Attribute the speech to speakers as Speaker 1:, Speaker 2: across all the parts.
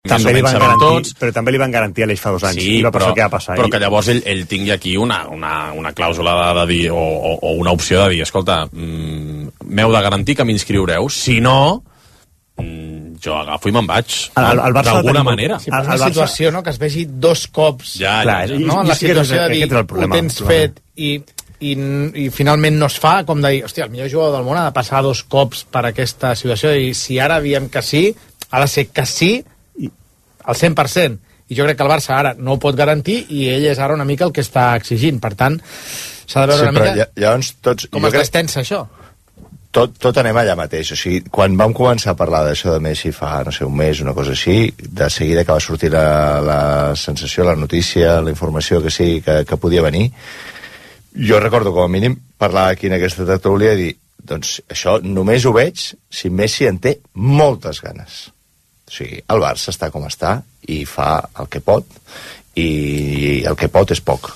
Speaker 1: més o menys sabem tots.
Speaker 2: Però també li van garantir a l'Eix fa 2 anys.
Speaker 1: Sí, però que llavors ell tingui aquí una clàusula de dir, o una opció de dir, escolta, m'heu de garantir que m'inscriureu, si no, jo agafo i me'n vaig, d'alguna manera.
Speaker 3: Sí, és una situació, no?, que es vegi 2 cops.
Speaker 1: Ja,
Speaker 3: no? En la situació de dir, ho tens fet i finalment no es fa, com de dir, hòstia, el millor jugador del món ha de passar 2 cops per aquesta situació, i si ara diem que sí, ha de ser que sí al 100%, i jo crec que el Barça ara no ho pot garantir, i ell és ara una mica el que està exigint, per tant s'ha de veure una mica
Speaker 4: llavors, com
Speaker 3: es destensa això.
Speaker 4: Tot anem allà mateix, o sigui, quan vam començar a parlar d'això de Messi fa, no sé, un mes, una cosa així, de seguida que va sortir la sensació, la notícia, la informació que sí, que podia venir, jo recordo com a mínim parlar aquí en aquesta tertúlia i dir, doncs això només ho veig si Messi en té moltes ganes. O sigui, el Barça està com està i fa el que pot, i el que pot és poc.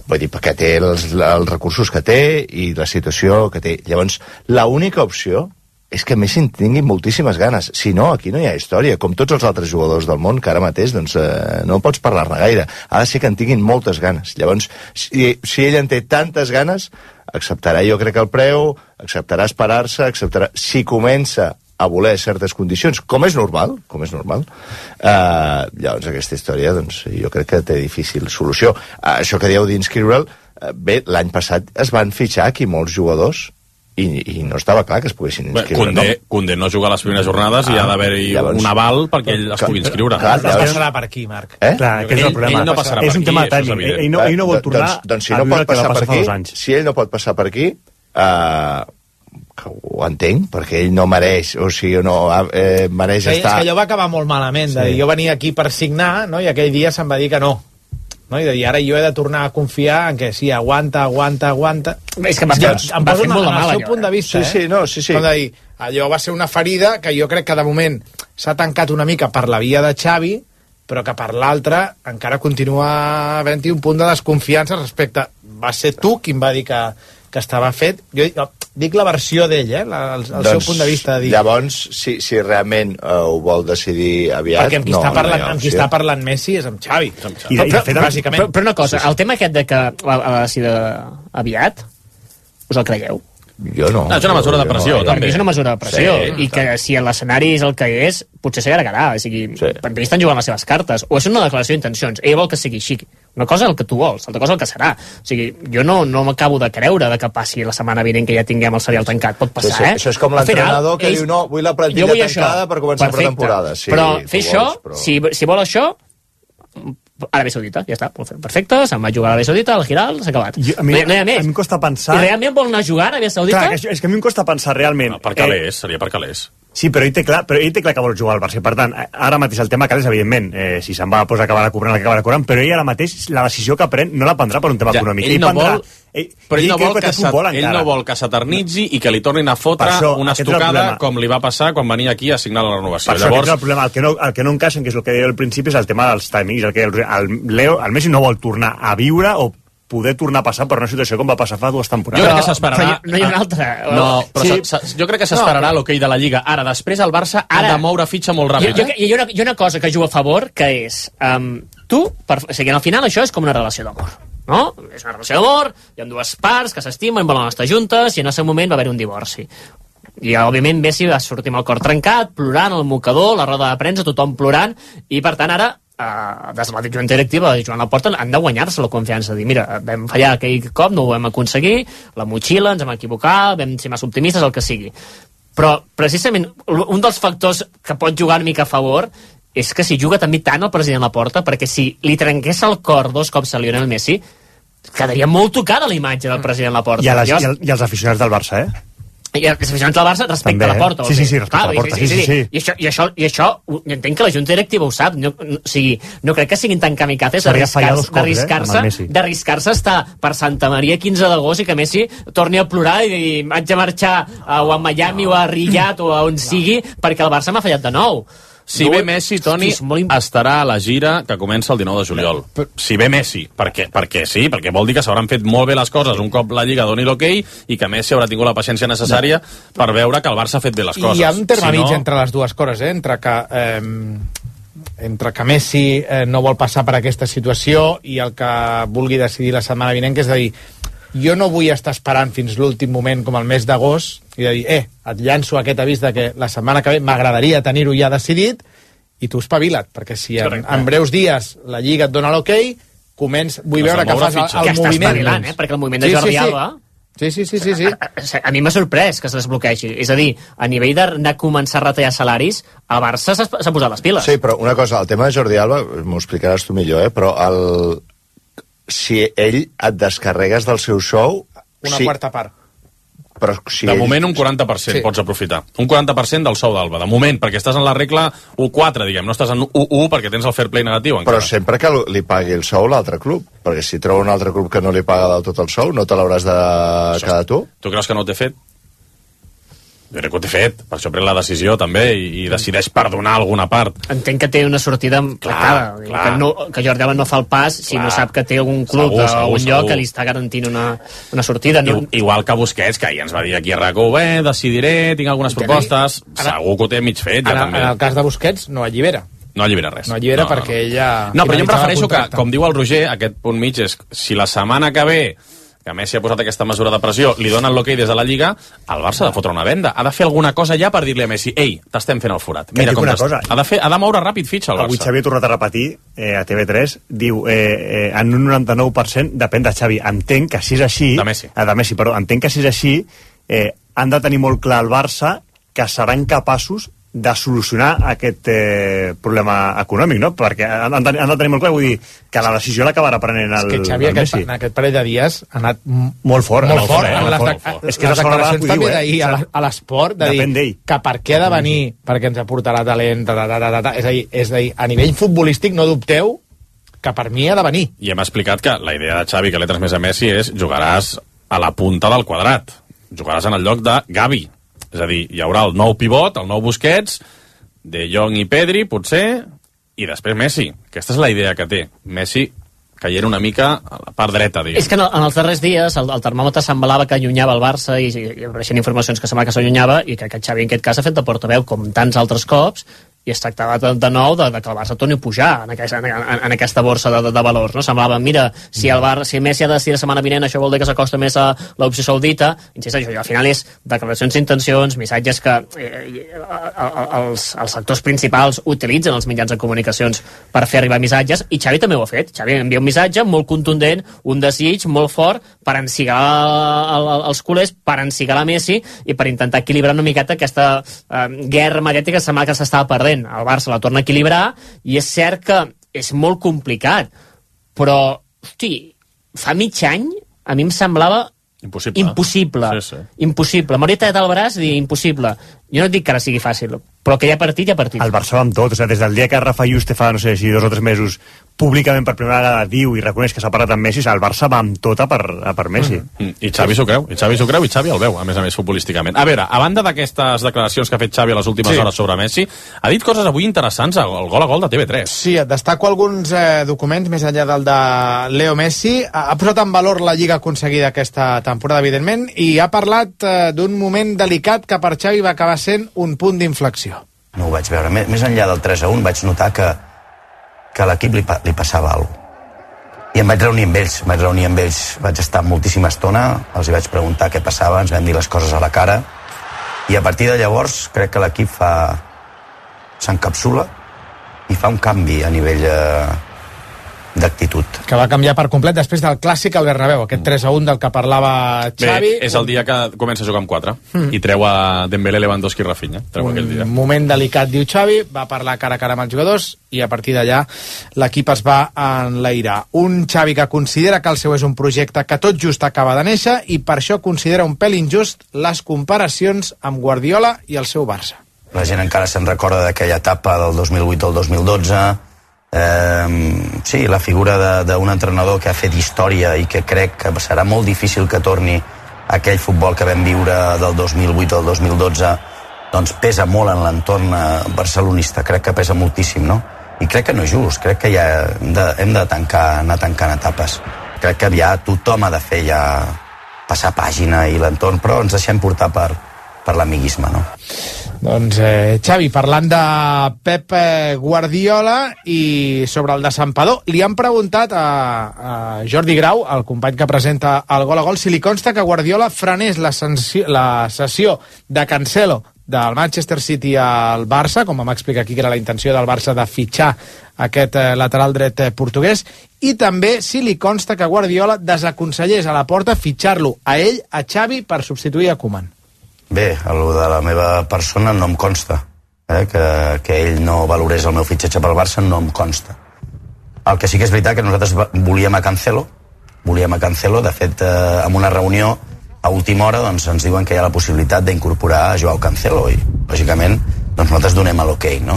Speaker 4: Vull dir, perquè té els recursos que té i la situació que té. Llavors, l'única opció és que Messi en tingui moltíssimes ganes. Si no, aquí no hi ha història. Com tots els altres jugadors del món, que ara mateix doncs, no pots parlar-ne gaire. Ha de ser que en tinguin moltes ganes. Llavors, si ell en té tantes ganes, acceptarà, jo crec, el preu, acceptarà esperar-se, acceptarà... Si comença a voler certes condicions, com és normal, llavors aquesta història, doncs, jo crec que té difícil solució. Això que dieu d'inscriure'l, bé, l'any passat es van fitxar aquí molts jugadors i no estava clar que es poguessin inscriure.
Speaker 1: Condé no juga a les primeres jornades i ha d'haver-hi un aval perquè ell es pugui inscriure.
Speaker 3: No passarà per aquí, Marc.
Speaker 2: Clar, aquest és el problema.
Speaker 1: Ell no passarà per aquí,
Speaker 2: és un tema tècnic. Ell no vol tornar
Speaker 4: a viure el que va passar fa 2 anys. Si ell no pot passar per aquí, que ho entenc, perquè ell no mereix, o sigui, no mereix estar...
Speaker 3: És que allò va acabar molt malament, jo venia aquí per signar, no? I aquell dia se'm va dir que no. No? I ara jo he de tornar a confiar en que sí, aguanta.
Speaker 5: És que em va fer molt de mal,
Speaker 3: el seu punt de vista,
Speaker 4: sí.
Speaker 3: Com de dir, allò va ser una ferida que jo crec que de moment s'ha tancat una mica per la via de Xavi, però que per l'altra encara continua havent-hi un punt de desconfiança respecte... Va ser tu qui em va dir que estava fet. Jo dic la versió d'ell, el seu punt de vista. De dir...
Speaker 4: Llavors, si realment ho vol decidir aviat...
Speaker 3: Perquè amb qui està parlant Messi és amb Xavi.
Speaker 5: Però una cosa, el tema aquest de que ha de ser aviat, us el creieu?
Speaker 4: Jo no.
Speaker 1: És una mesura de pressió, també.
Speaker 5: És una mesura de pressió, i que si l'escenari és el que és, potser s'allargarà. O sigui, per mi estan jugant les seves cartes. O és una declaració d'intencions. Ell vol que sigui així. Una cosa és el que tu vols, altra cosa el que serà. O sigui, jo no m'acabo de creure de que passi la setmana vinent que ja tinguem el serial tancat. Pot passar,
Speaker 4: Això és com l'entrenador que diu, no, vull la plantilla tancada per començar per temporada.
Speaker 5: Però fer això, si vol això, Aràbia Saudita, ja està, perfecte, se'n va jugar a Aràbia Saudita, al Giral, s'ha acabat. No hi ha més.
Speaker 2: A mi em costa pensar...
Speaker 5: I realment vol anar a jugar a Aràbia Saudita?
Speaker 2: Clar, és que a mi em costa pensar realment...
Speaker 1: Per calés, seria per calés.
Speaker 2: Sí, però ell té clar que vol jugar al Barça. Per tant, ara mateix el tema calés, evidentment, si se'n va, doncs acabarà cobrant el que acabarà cobrant, però ell ara mateix la decisió que pren no la prendrà per un tema econòmic.
Speaker 1: Ell no vol que s'eternitzi i que li tornin a fotre una estocada com li va passar quan venia aquí a signar la renovació.
Speaker 2: Per això és el problema. El que no encaixen, que és el que deia al principi, és el tema dels timings. El Messi no vol tornar a viure o poder tornar a passar per una situació com va passar fa 2 temporades.
Speaker 1: Jo crec que s'esperarà...
Speaker 5: No hi ha una altra.
Speaker 1: No, però jo crec que s'esperarà l'hoquei de la Lliga. Ara, després el Barça ha de moure fitxa molt ràpid.
Speaker 5: Hi ha una cosa que juga a favor, que és... O sigui, al final això és com una relació d'amor. No? És una relació d'amor, hi ha 2 parts que s'estimen, volen estar juntes, i en el seu moment va haver un divorci. I, òbviament, Messi va sortir amb el cor trencat, plorant al mocador, la roda de premsa, tothom plorant, i, per tant, ara des de la junta directiva de Joan Laporta han de guanyar-se la confiança, de dir, mira, vam fallar aquell cop, no ho vam aconseguir, la motxilla, ens vam equivocar, vam ser massa optimistes, el que sigui. Però, precisament, un dels factors que pot jugar una mica a favor és que si juga també tant el president Laporta, perquè si li trenqués el cor 2 cops a Lionel Messi, quedaria molt tocada la imatge del president Laporta.
Speaker 2: I els aficionats del Barça,
Speaker 5: I els aficionats del Barça respecte a la Porta.
Speaker 2: Sí, respecte a la Porta, sí.
Speaker 5: I això, entenc que la Junta Directiva ho sap. No crec que siguin tan kamikazes d'arriscar-se a estar per Santa Maria 15 d'agost i que Messi torni a plorar i dir, haig de marxar o a Miami o a Riyadh o a on sigui perquè el Barça m'ha fallat de nou.
Speaker 1: Si ve Messi, Toni, estarà a la gira que comença el 19 de juliol. Si ve Messi, perquè sí, perquè vol dir que s'hauran fet molt bé les coses un cop la Lliga doni l'hoquei i que Messi haurà tingut la paciència necessària per veure que el Barça ha fet bé les coses.
Speaker 3: I hi ha un terme mig entre les dues coses, entre que entre que Messi no vol passar per aquesta situació i el que vulgui decidir la setmana vinent, que és de dir, jo no vull estar esperant fins l'últim moment com el mes d'agost i de dir, et llanço aquest avís de que la setmana que ve m'agradaria tenir-ho ja decidit i tu espavila't, perquè si en breus dies la Lliga et dona l'ok, vull veure que fas el moviment.
Speaker 5: Perquè el moviment de Jordi Alba...
Speaker 3: Sí.
Speaker 5: A mi m'ha sorprès que es desbloquegi. És a dir, a nivell d'anar a començar a retallar salaris, el Barça s'ha posat les piles.
Speaker 4: Sí, però una cosa, el tema de Jordi Alba, m'ho explicaràs tu millor, però si ell et descarregues del seu sou...
Speaker 3: Una quarta part.
Speaker 4: Però si
Speaker 1: de moment un 40% pots aprofitar. Un 40% del sou d'Alba. De moment, perquè estàs en la regla 1-4, diguem. No estàs en 1-1 perquè tens el fair play negatiu encara.
Speaker 4: Però sempre que li pagui el sou l'altre club. Perquè si troba un altre club que no li paga del tot el sou, no te l'hauràs de quedar tu?
Speaker 1: Tu creus que no ho té fet? Jo crec que ho té fet, per això pren la decisió també i decideix perdonar alguna part.
Speaker 5: Entenc que té una sortida tractada, que Jordi Alba no fa el pas si no sap que té algun club un lloc que li està garantint una sortida.
Speaker 1: Igual que Busquets, que ahir ens va dir aquí a RAC1, decidiré, tinc algunes propostes, segur que ho té mig fet ja també.
Speaker 3: En el cas de Busquets no allibera.
Speaker 1: No allibera res.
Speaker 3: No allibera perquè ella...
Speaker 1: No, però jo em refereixo que, com diu el Roger, aquest punt mig és si la setmana que ve que Messi ha posat aquesta mesura de pressió, li donen l'ok des de la Lliga, el Barça ha de fotre una venda. Ha de fer alguna cosa ja per dir-li a Messi, t'estem fent el forat. Mira com ha de moure ràpid fitxa el Barça.
Speaker 2: Avui Xavi ha tornat a repetir a TV3, diu, en un 99% depèn de Xavi. Entenc que si és així...
Speaker 1: De Messi.
Speaker 2: Entenc que si és així, han de tenir molt clar el Barça que seran capaços de solucionar aquest problema econòmic, no? Perquè han de tenir molt clar, vull dir, que la decisió l'acabarà prenent el Messi.
Speaker 3: És que Xavi en aquest parell de dies ha anat
Speaker 2: molt fort.
Speaker 3: És que les declaracions també d'ahir a l'esport, de dir que per què ha de venir, perquè ens aportarà talent, és a dir, a nivell futbolístic no dubteu que per mi ha de venir.
Speaker 1: I hem explicat que la idea de Xavi que l'he transmès a Messi és jugaràs a la punta del quadrat, jugaràs en el lloc de Gavi. És a dir, hi haurà el nou pivot, el nou Busquets, De Jong i Pedri, potser, i després Messi. Aquesta és la idea que té. Messi caient una mica a la part dreta, diguem.
Speaker 5: És que en els darrers dies el termòmetre semblava que allunyava el Barça i apareixen informacions que semblava que s'allunyava i que Xavi en aquest cas ha fet de portaveu com tants altres cops i es tractava de nou de que el Barça torni a pujar en aquesta borsa de valors, no? Semblava, mira, si Messi ha de decidir la setmana vinent, això vol dir que s'acosta més a l'opció saudita. Insisteixo, al final és declaracions d'intencions, missatges que els sectors principals utilitzen els mitjans de comunicacions per fer arribar missatges, i Xavi també ho ha fet. Xavi envia un missatge molt contundent, un desig molt fort per encigar els culers, per encigar la Messi i per intentar equilibrar una miqueta aquesta guerra mediàtica que semblava que s'estava perdent. El Barça la torna a equilibrar i és cert que és molt complicat, però hosti, fa mig any a mi em semblava impossible.
Speaker 1: Sí.
Speaker 5: Impossible. M'hauria tallat el braç i dir impossible. Jo no et dic que ara sigui fàcil, però que hi ha partit, hi ha partit.
Speaker 2: El Barça va amb tot, des del dia que Rafa Juste fa, no sé si 2 o 3 mesos públicament per primera vegada diu i reconeix que s'ha parlat amb Messi, el Barça va amb tot a per Messi.
Speaker 1: I Xavi s'ho creu, i Xavi el veu, a més futbolísticament. A veure, a banda d'aquestes declaracions que ha fet Xavi a les últimes hores sobre Messi, ha dit coses avui interessants al gol a gol de TV3.
Speaker 3: Sí, et destaco alguns documents, més enllà del de Leo Messi. Ha posat en valor la lliga aconseguida aquesta temporada, evidentment, i ha parlat d'un moment delicat que per Xavi va acabar sent un punt d'inflexió.
Speaker 6: No ho vaig veure. Més enllà del 3-1 vaig notar que a l'equip li passava alguna cosa. I em vaig reunir amb ells. Vaig estar moltíssima estona, els hi vaig preguntar què passava, ens vam dir les coses a la cara, i a partir de llavors crec que l'equip s'encapsula i fa un canvi a nivell d'actitud.
Speaker 3: Que va canviar per complet després del clàssic al Bernabéu, aquest 3-1 del que parlava Xavi.
Speaker 1: Bé, és el dia que comença a jugar amb 4 i treu a Dembélé, Lewandowski i Rafinha.
Speaker 3: Un moment delicat, diu Xavi, va parlar cara a cara amb els jugadors i a partir d'allà l'equip es va enlairar. Un Xavi que considera que el seu és un projecte que tot just acaba de néixer i per això considera un pèl injust les comparacions amb Guardiola i el seu Barça.
Speaker 6: La gent encara se'n recorda d'aquella etapa del 2008 al 2012. Sí, la figura d'un entrenador que ha fet història i que crec que serà molt difícil que torni aquell futbol que vam viure del 2008 al 2012, doncs pesa molt en l'entorn barcelonista, crec que pesa moltíssim, no? I crec que no és just, crec que ja hem de anar tancant etapes. Crec que ja tothom ha de fer ja passar pàgina i l'entorn, però ens deixem portar per l'amiguisme, no?
Speaker 3: Doncs, Xavi, parlant de Pep Guardiola i sobre el de Santpedor, li han preguntat a Jordi Grau, el company que presenta el Gol a Gol, si li consta que Guardiola frenés la cessió de Cancelo del Manchester City al Barça, com vam explicar aquí que era la intenció del Barça de fitxar aquest lateral dret portuguès, i també si li consta que Guardiola desaconsellés a la Porta fitxar-lo a ell, a Xavi, per substituir a Koeman.
Speaker 6: Bé, el de la meva persona no em consta. Que ell no valorés el meu fitxatge pel Barça no em consta. El que sí que és veritat que nosaltres volíem a Cancelo, de fet, en una reunió a última hora doncs, ens diuen que hi ha la possibilitat d'incorporar a Joao Cancelo i, lògicament, doncs nosaltres donem l'ok, no?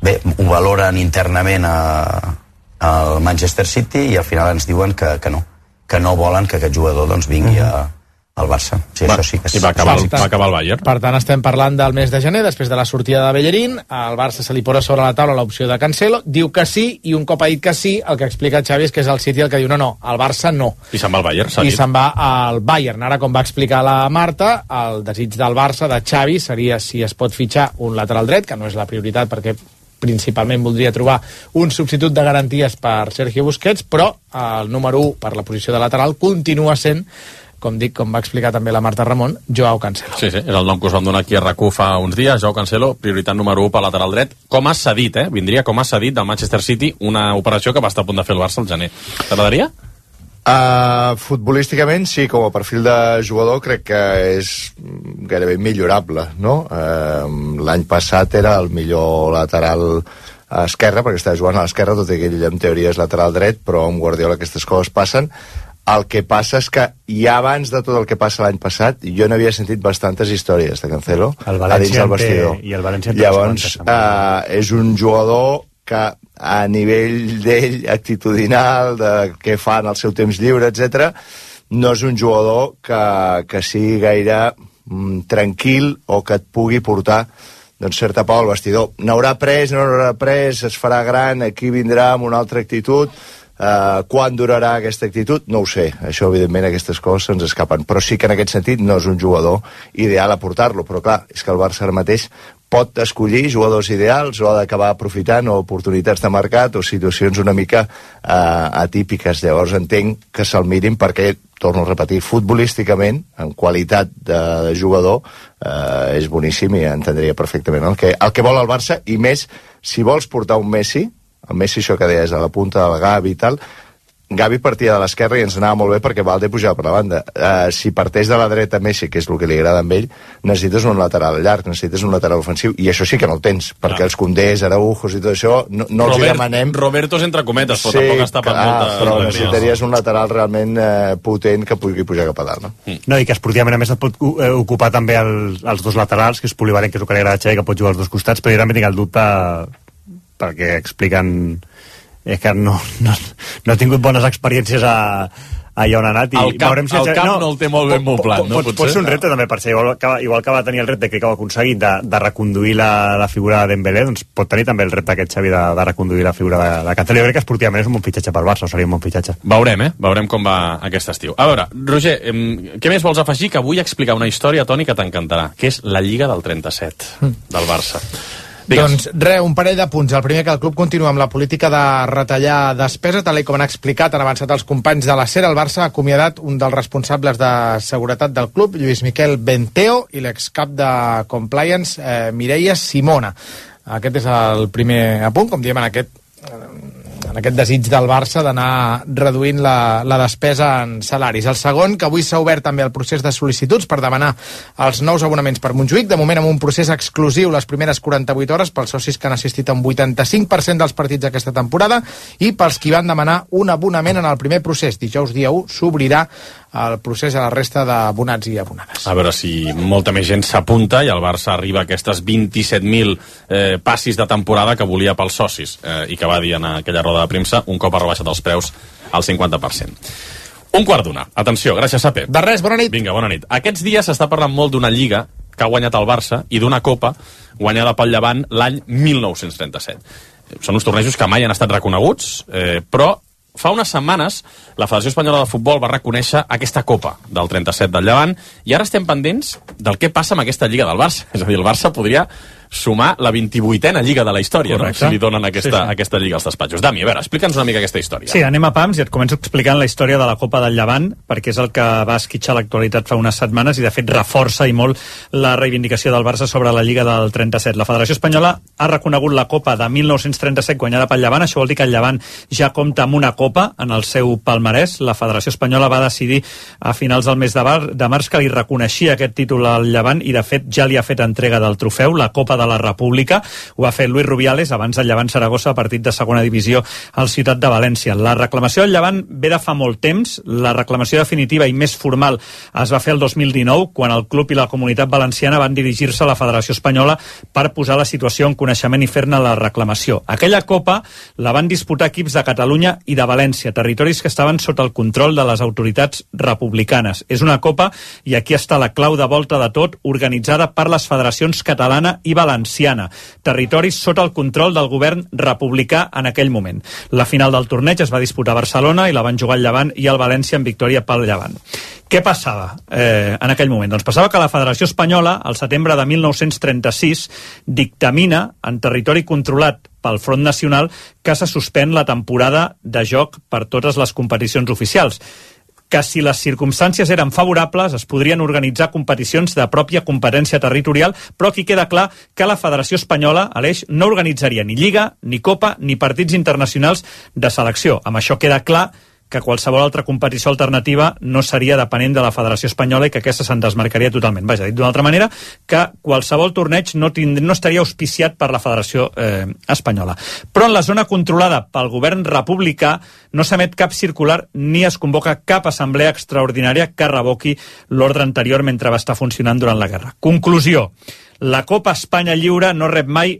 Speaker 6: Bé, ho valoren internament al Manchester City i al final ens diuen que no volen que aquest jugador doncs, vingui al Barça. Sí, això sí que és...
Speaker 1: I va acabar el Bayern.
Speaker 3: Per tant, estem parlant del mes de gener, després de la sortida de Bellerín. Al Barça se li posa sobre la taula l'opció de Cancelo, diu que sí, i un cop ha dit que sí, el que explica Xavi és que és el City el que diu no, al Barça no.
Speaker 1: I se'n va al Bayern,
Speaker 3: I se'n va al Bayern. Ara, com va explicar la Marta, el desig del Barça, de Xavi, seria si es pot fitxar un lateral dret, que no és la prioritat perquè principalment voldria trobar un substitut de garanties per Sergio Busquets, però el número 1 per la posició de lateral continua sent, com va explicar també la Marta Ramon, Joao Cancelo.
Speaker 1: Sí, és el nom que us vam donar aquí a RAC1 fa uns dies, Joao Cancelo, prioritat número 1 per lateral dret, com ha cedit, vindria com ha cedit del Manchester City, una operació que va estar a punt de fer el Barça al gener. T'agradaria?
Speaker 4: Futbolísticament sí, com a perfil de jugador crec que és gairebé millorable, no? L'any passat era el millor lateral a esquerra, perquè estava jugant a l'esquerra, tot i que ell en teoria és lateral dret, però amb Guardiola aquestes coses passen. El que passa és que ja abans de tot el que passa l'any passat jo n'havia sentit bastantes històries de Cancelo a dins del vestidor. Llavors és un jugador que a nivell d'ell actitudinal, de què fa en el seu temps lliure, etc, no és un jugador que sigui gaire tranquil o que et pugui portar doncs certa pau al vestidor. N'haurà pres, no n'haurà pres, es farà gran, aquí vindrà amb una altra actitud. Quan durarà aquesta actitud? No ho sé. Això, evidentment, aquestes coses se'ns escapen. Però sí que en aquest sentit no és un jugador ideal a portar-lo. Però clar, és que el Barça ara mateix pot escollir jugadors ideals o ha d'acabar aprofitant oportunitats de mercat o situacions una mica atípiques. Llavors entenc que se'l mirin perquè, torno a repetir, futbolísticament, en qualitat de jugador, és boníssim i entendria perfectament el que vol el Barça, i més si vols portar un Messi, el Messi, això que deies, a la punta del Gavi i tal, Gavi partia de l'esquerra i ens anava molt bé perquè Valde pujava per la banda. Si parteix de la dreta Messi, que és el que li agrada a ell, necessites un lateral llarg, necessites un lateral ofensiu, i això sí que no el tens, perquè els Condés, Araujos i tot això, no els hi demanem...
Speaker 1: Robertos entre cometes, però tampoc està per molta...
Speaker 4: Però necessitaries un lateral realment potent que pugui pujar cap a dalt, no?
Speaker 2: No, i que esportivament, a més, et pot ocupar també els dos laterals, que és polivalent, que és el que li agrada a Xavi, que pot jugar als dos costats, però jo també tinc el dubte perquè expliquen... és que no he tingut bones experiències allà on ha anat.
Speaker 1: El camp no el té molt ben moblat, no?
Speaker 2: Pot ser un repte també per ser, igual que va tenir el repte que ha aconseguit de reconduir la figura de Dembélé, doncs pot tenir també el repte aquest Xavi de reconduir la figura de Cancelo. Jo crec que esportivament és un bon fitxatge per Barça, o seria un bon fitxatge.
Speaker 1: Veurem com va aquest estiu. A veure, Roger, què més vols afegir? Que vull explicar una història, Toni, que t'encantarà, que és la Lliga del 37 del Barça.
Speaker 3: Doncs res, un parell de punts. El primer, que el club continua amb la política de retallar despesa, tal com han explicat, han avançat els companys de la SER. El Barça ha acomiadat un dels responsables de seguretat del club, Lluís Miquel Benteo, i l'excap de Compliance, Mireia Simona. Aquest és el primer apunt, com diem, en aquest desig del Barça d'anar reduint la despesa en salaris. El segon, que avui s'ha obert també el procés de sol·licituds per demanar els nous abonaments per Montjuïc, de moment amb un procés exclusiu les primeres 48 hores pels socis que han assistit a un 85% dels partits d'aquesta temporada i pels qui van demanar un abonament en el primer procés. Dijous dia 1 s'obrirà el procés a la resta d'abonats i abonades.
Speaker 1: A veure si molta més gent s'apunta i el Barça arriba a aquestes 27.000 passis de temporada que volia pels socis i que va dir en aquella roda de premsa un cop ha rebaixat els preus al 50%. Un quart d'una. Atenció, gràcies, Sape.
Speaker 3: De res, bona nit.
Speaker 1: Vinga, bona nit. Aquests dies s'està parlant molt d'una lliga que ha guanyat el Barça i d'una copa guanyada pel Llevant l'any 1937. Són uns tornejos que mai han estat reconeguts, però fa unes setmanes la Federació Espanyola de Futbol va reconèixer aquesta Copa del 37 del Llevant i ara estem pendents del què passa amb aquesta Lliga del Barça. És a dir, el Barça podria sumar la 28a Lliga de la història, no? Si li donen aquesta Lliga als despatxos. Dami, a veure, explica'ns una mica aquesta història.
Speaker 2: Sí, anem a pams i et començo explicant la història de la Copa del Llevant, perquè és el que va esquitxar l'actualitat fa unes setmanes i de fet reforça i molt la reivindicació del Barça sobre la Lliga del 37. La Federació Espanyola ha reconegut la Copa de 1937 guanyada pel Llevant, això vol dir que el Llevant ja compta amb una Copa en el seu palmarès. La Federació Espanyola va decidir a finals del mes de març que li reconeixia aquest títol al Llevant i de fet ja li ha fet entrega del trofeu, la Copa de la República. Ho ha fet Luis Rubiales abans del Llevant Saragossa, partit de segona divisió al Ciutat de València. La reclamació del Llevant ve de fa molt temps. La reclamació definitiva i més formal es va fer el 2019, quan el club i la Comunitat Valenciana van dirigir-se a la Federació Espanyola per posar la situació en coneixement i fer-ne la reclamació. Aquella Copa la van disputar equips de Catalunya i de València, territoris que estaven sota el control de les autoritats republicanes. És una Copa, i aquí està la clau de volta de tot, organitzada per les federacions catalana i valenciana, territoris sota el control del govern republicà en aquell moment. La final del torneig es va disputar a Barcelona i la van jugar el Llevant i el València en victòria pel Llevant. Què passava en aquell moment? Doncs passava que la Federació Espanyola, al setembre de 1936, dictamina en territori controlat pel Front Nacional que se suspèn la temporada de joc per totes les competicions oficials, que si les circumstàncies eren favorables es podrien organitzar competicions de pròpia competència territorial, però aquí queda clar que la Federació Espanyola, Aleix, no organitzaria ni Lliga, ni Copa, ni partits internacionals de selecció. Amb això queda clar que qualsevol altra competició alternativa no seria depenent de la Federació Espanyola i que aquesta se'n desmarcaria totalment. Vaja, dit d'una altra manera, que qualsevol torneig no estaria auspiciat per la Federació Espanyola. Però en la zona controlada pel govern republicà no s'emet cap circular ni es convoca cap assemblea extraordinària que revoqui l'ordre anterior mentre va estar funcionant durant la guerra. Conclusió: la Copa Espanya Lliure no rep mai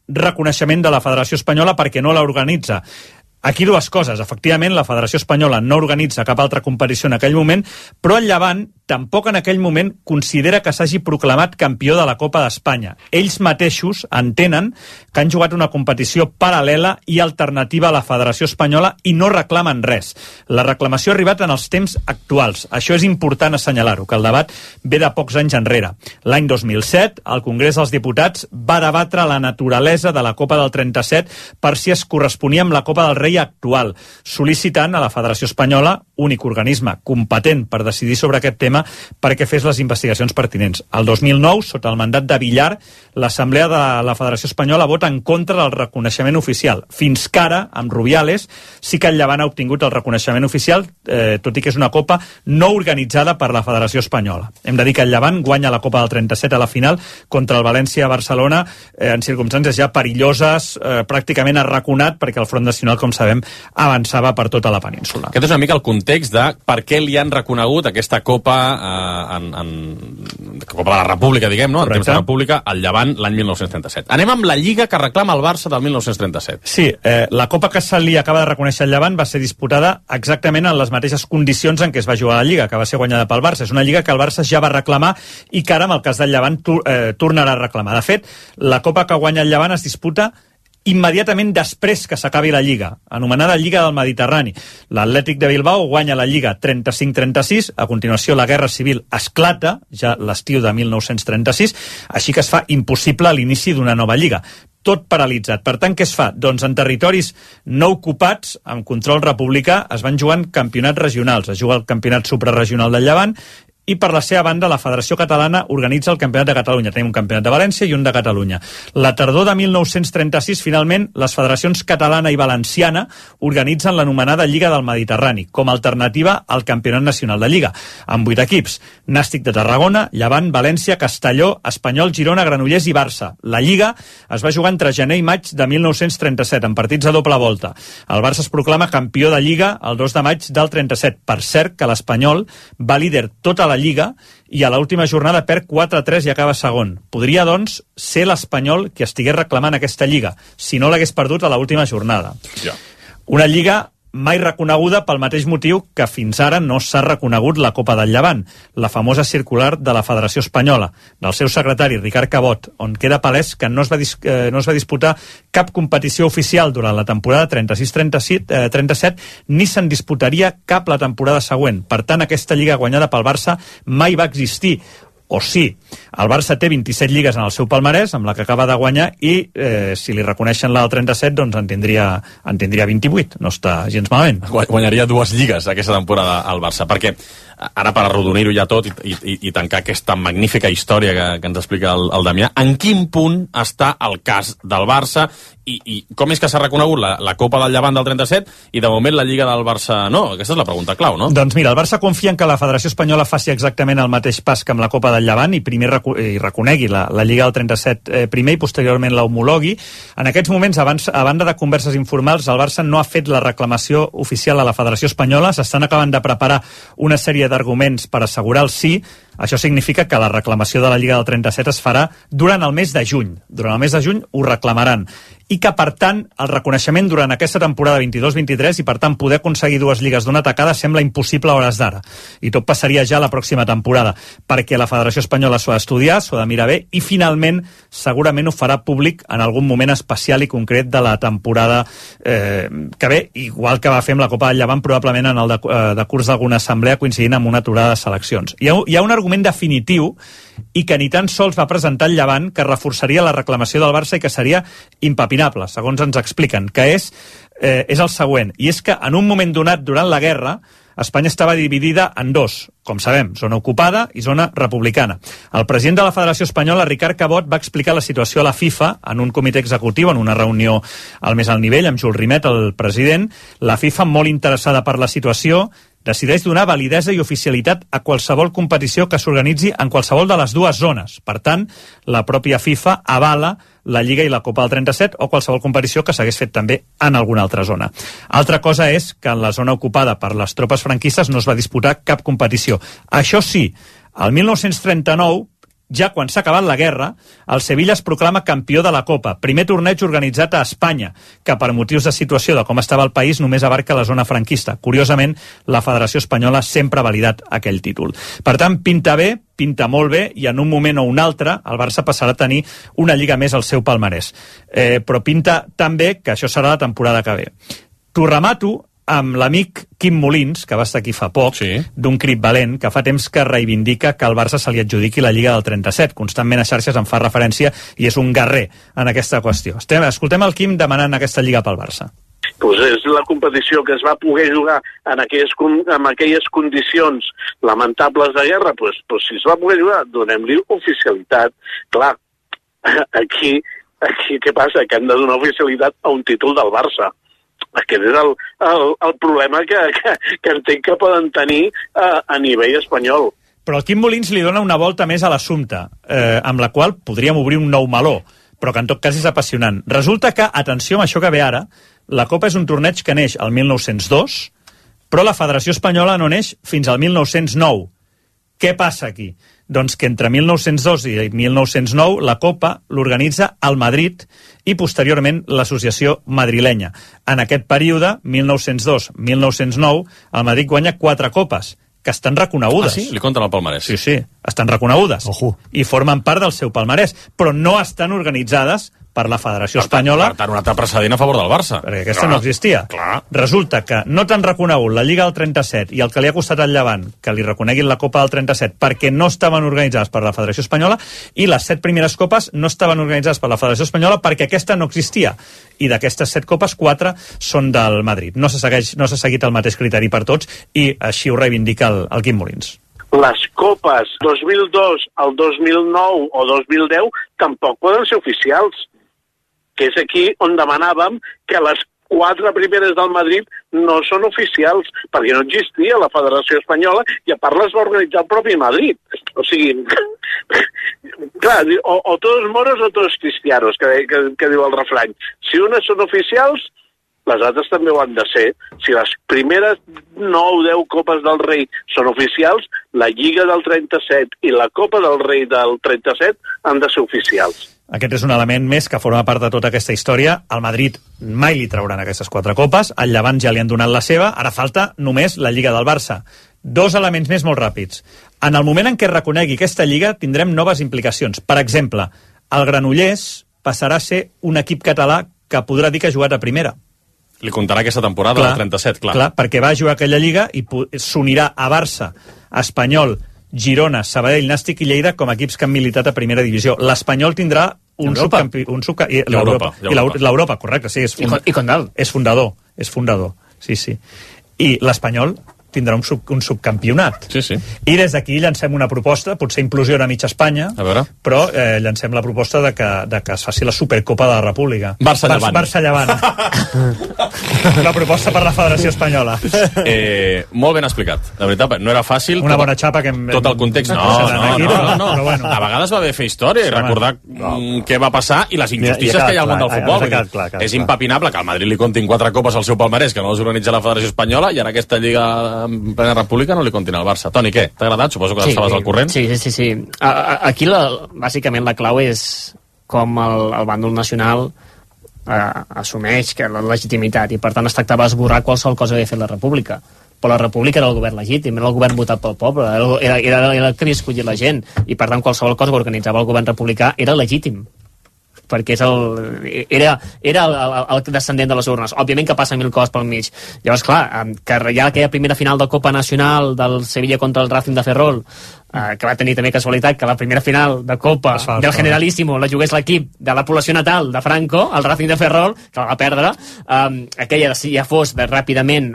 Speaker 2: reconeixement de la Federació Espanyola perquè no la organitza. Aquí dues coses. Efectivament, la Federació Espanyola no organitza cap altra competició en aquell moment, però el Llevant tampoc en aquell moment considera que s'hagi proclamat campió de la Copa d'Espanya. Ells mateixos entenen que han jugat una competició paral·lela i alternativa a la Federació Espanyola i no reclamen res. La reclamació ha arribat en els temps actuals. Això és important assenyalar-ho, que el debat ve de pocs anys enrere. L'any 2007, el Congrés dels Diputats va debatre la naturalesa de la Copa del 37 per si es corresponia amb la Copa del Rei actual, sol·licitant a la Federació Espanyola, únic organisme competent per decidir sobre aquest tema, perquè fes les investigacions pertinents. El 2009, sota el mandat de Villar, l'Assemblea de la Federació Espanyola vota en contra del reconeixement oficial. Fins que ara, amb Rubiales, sí que el Llevant ha obtingut el reconeixement oficial, tot i que és una Copa no organitzada per la Federació Espanyola. Hem de dir que el Llevant guanya la Copa del 37 a la final contra el València a Barcelona en circumstàncies ja perilloses, pràcticament arraconat, perquè el Front Nacional, com sabem, avançava per tota la península.
Speaker 1: Aquest és una mica el context de per què li han reconegut aquesta Copa Copa de la República, diguem, no? En temps de República, al Llevant l'any 1937. Anem amb la Lliga que reclama el Barça del 1937.
Speaker 2: Sí, la Copa que se li acaba de reconèixer el Llevant va ser disputada exactament en les mateixes condicions en què es va jugar la Lliga, que va ser guanyada pel Barça. És una Lliga que el Barça ja va reclamar i que ara, en el cas del Llevant, tornarà a reclamar. De fet, la Copa que guanya el Llevant es disputa immediatament després que s'acabi la Lliga, anomenada Lliga del Mediterrani. L'Atlètic de Bilbao guanya la Lliga 35-36, a continuació la Guerra Civil esclata, ja l'estiu de 1936, així que es fa impossible l'inici d'una nova Lliga. Tot paralitzat. Per tant, què es fa? Doncs en territoris no ocupats, amb control republicà, es van jugant campionats regionals. Es juga el campionat suprarregional del Llevant i per la seva banda la Federació Catalana organitza el Campionat de Catalunya. Tenim un Campionat de València i un de Catalunya. La tardor de 1936, finalment, les federacions catalana i valenciana organitzen l'anomenada Lliga del Mediterrani, com a alternativa al Campionat Nacional de Lliga, amb 8 equips: Nàstic de Tarragona, Llevant, València, Castelló, Espanyol, Girona, Granollers i Barça. La Lliga es va jugar entre gener i maig de 1937, en partits a doble volta. El Barça es proclama campió de Lliga el 2 de maig del 37. Per cert, que l'Espanyol va líder tota la Lliga i a l'última jornada perd 4-3 i acaba segon. Podria, doncs, ser l'Espanyol qui estigués reclamant aquesta Lliga, si no l'hagués perdut a l'última jornada.
Speaker 1: Ja.
Speaker 2: Una Lliga
Speaker 7: mai reconeguda pel mateix motiu que fins ara no s'ha reconegut la Copa del Llevant, la famosa circular de la Federació Espanyola, del seu secretari Ricard Cabot, on queda palès que no es va disputar cap competició oficial durant la temporada 36-37, ni se'n disputaria cap la temporada següent. Per tant, aquesta lliga guanyada pel Barça mai va existir. O sí, el Barça té 27 lligues en el seu palmarès, amb la que acaba de guanyar, i si li reconeixen la del 37, doncs en tindria 28. No està gens malament.
Speaker 1: Guanyaria 2 lligues aquesta temporada al Barça, perquè ara per arrodonir-ho ja tot i tancar aquesta magnífica història que ens explica el Damià, en quin punt està el cas del Barça i com és que s'ha reconegut la Copa del Llevant del 37 i de moment la Lliga del Barça no? Aquesta és la pregunta clau, no?
Speaker 7: Doncs mira, el Barça confia en que la Federació Espanyola faci exactament el mateix pas que amb la Copa del Llevant i primer reconegui la Lliga del 37 primer i posteriorment la homologui. En aquests moments, a banda de converses informals, el Barça no ha fet la reclamació oficial a la Federació Espanyola, s'estan acabant de preparar una sèrie d'arguments per assegurar el sí. Això significa que la reclamació de la Lliga del 37 es farà durant el mes de juny. Durant el mes de juny ho reclamaran. I que, per tant, el reconeixement durant aquesta temporada 22-23 i, per tant, poder aconseguir 2 lligues d'una tacada sembla impossible a hores d'ara. I tot passaria ja la pròxima temporada, perquè la Federació Espanyola s'ho ha d'estudiar, s'ho ha de mirar bé, i finalment, segurament ho farà públic en algun moment especial i concret de la temporada que ve, igual que va fer amb la Copa del Llevant, probablement en el decurs d'alguna assemblea coincidint amb una aturada de seleccions. Hi ha un argument definitiu i que ni tan sols va presentar el Llevant, que reforçaria la reclamació del Barça i que seria impepinable, segons ens expliquen, que és el següent, i és que en un moment donat durant la guerra Espanya estava dividida en dos, com sabem, zona ocupada i zona republicana. El president de la Federació Espanyola, Ricard Cabot, va explicar la situació a la FIFA en un comitè executiu, en una reunió al més alt nivell, amb Jules Rimet, el president. La FIFA, molt interessada per la situació, decideix donar validesa i oficialitat a qualsevol competició que s'organitzi en qualsevol de les dues zones. Per tant, la pròpia FIFA avala la Lliga i la Copa del 37 o qualsevol competició que s'hagués fet també en alguna altra zona. Altra cosa és que en la zona ocupada per les tropes franquistes no es va disputar cap competició. Això sí, el 1939, ja quan s'ha acabat la guerra, el Sevilla es proclama campió de la Copa, primer torneig organitzat a Espanya, que per motius de situació de com estava el país només abarca la zona franquista. Curiosament, la Federació Espanyola sempre ha validat aquell títol. Per tant, pinta bé, pinta molt bé, i en un moment o un altre el Barça passarà a tenir una lliga més al seu palmarès. Però pinta tan bé que això serà la temporada que ve. T'ho remato amb l'amic Quim Molins, que va estar aquí fa poc, sí, d'un crit valent, que fa temps que reivindica que al Barça se li adjudiqui la Lliga del 37. Constantment a xarxes en fa referència i és un guerrer en aquesta qüestió. Escoltem el Quim demanant aquesta Lliga pel Barça.
Speaker 8: Pues és la competició que es va poder jugar en aquelles condicions lamentables de guerra, pues si es va poder jugar, donem-li oficialitat. Clar, aquí què passa? Que hem de donar oficialitat a un títol del Barça. Aquest és el problema que entenc que poden tenir a nivell espanyol.
Speaker 7: Però el Quim Molins li dona una volta més a l'assumpte, amb la qual podríem obrir un nou meló, però que en tot cas és apassionant. Resulta que, atenció amb això que ve ara, la Copa és un torneig que neix el 1902, però la Federació Espanyola no neix fins al 1909. Què passa aquí? Doncs que entre 1902 i 1909 la Copa l'organitza el Madrid i posteriorment l'Associació Madrilenya. En aquest període, 1902-1909, el Madrid guanya 4 copes que estan reconegudes.
Speaker 1: Ah, sí? Li compten el palmarès.
Speaker 7: Sí, estan reconegudes. I formen part del seu palmarès, però no estan organitzades per la Federació Espanyola.
Speaker 1: Per tant, un altre precedent a favor del Barça.
Speaker 7: Perquè aquesta no existia.
Speaker 1: Clar.
Speaker 7: Resulta que no t'han reconegut la Lliga del 37 i el que li ha costat al Llevant que li reconeguin la Copa del 37 perquè no estaven organitzades per la Federació Espanyola, i les 7 primeres copes no estaven organitzades per la Federació Espanyola perquè aquesta no existia. I d'aquestes 7 copes, 4 són del Madrid. No s'ha seguit el mateix criteri per tots i així ho reivindica el Quim Molins.
Speaker 8: Les copes 2002 al 2009 o 2010 tampoc poden ser oficials, que és aquí on demanàvem que les 4 primeres del Madrid no són oficials, perquè no existia la Federació Espanyola i a part les va organitzar el propi Madrid. O sigui, clar, o todos moros o todos cristianos, que diu el refrany. Si unes són oficials, les altres també ho han de ser. Si les primeres 9 o 10 Copes del Rei són oficials, la Lliga del 37 i la Copa del Rei del 37 han de ser oficials.
Speaker 7: Aquest és un element més que forma part de tota aquesta història. Al Madrid mai li trauran aquestes 4 copes, al Llevant ja li han donat la seva, ara falta només la Lliga del Barça. 2 elements més molt ràpids. En el moment en què es reconegui aquesta Lliga tindrem noves implicacions. Per exemple, el Granollers passarà a ser un equip català que podrà dir que ha jugat a primera.
Speaker 1: Li comptarà aquesta temporada del 37, clar.
Speaker 7: Clar, perquè va jugar aquella Lliga i s'unirà a Barça, Espanyol, Girona, Sabadell, Nàstic i Lleida com a equips que han militat a primera divisió. L'Espanyol tindrà l'Europa, correcte, sí,
Speaker 5: I Condal.
Speaker 7: És fundador, sí. I l'Espanyol tindrà un subcampionat.
Speaker 1: Sí.
Speaker 7: I des d'aquí llancem una proposta, potser implosiona mig Espanya, però llancem la proposta de que es faci la Supercopa de la República.
Speaker 1: Barça-Llevant.
Speaker 7: La proposta per la Federació Espanyola.
Speaker 1: Molt ben explicat. De veritat, no era fàcil.
Speaker 7: Una bona xapa que
Speaker 1: tot el context. No.
Speaker 7: Bueno.
Speaker 1: A vegades va bé fer història i recordar què va passar i les injustícies que hi ha al món del futbol. És impepinable que al Madrid li comptin 4 copes al seu palmarès, que no les organitza la Federació Espanyola, i en aquesta Lliga en plena república no li continua al Barça. Toni, què? T'ha agradat? Suposo que estaves al corrent.
Speaker 5: Sí. Aquí, bàsicament, la clau és com el bàndol nacional assumeix que la legitimitat, i per tant es tractava d'esborrar qualsevol cosa que havia fet la república. Però la república era el govern legítim, era el govern votat pel poble, era el que havia escollit la gent, i per tant qualsevol cosa que organitzava el govern republicà era legítim, perquè era el descendent de les urnes. Òbviament que passen 1000 coses pel mig. Llavors, clar, que hi ha aquella primera final de Copa Nacional del Sevilla contra el Racing de Ferrol, que va tenir també casualitat que la primera final de Copa del Generalíssimo la jugués l'equip de la població natal de Franco, el Racing de Ferrol, que la va perdre. Aquella ja fos ràpidament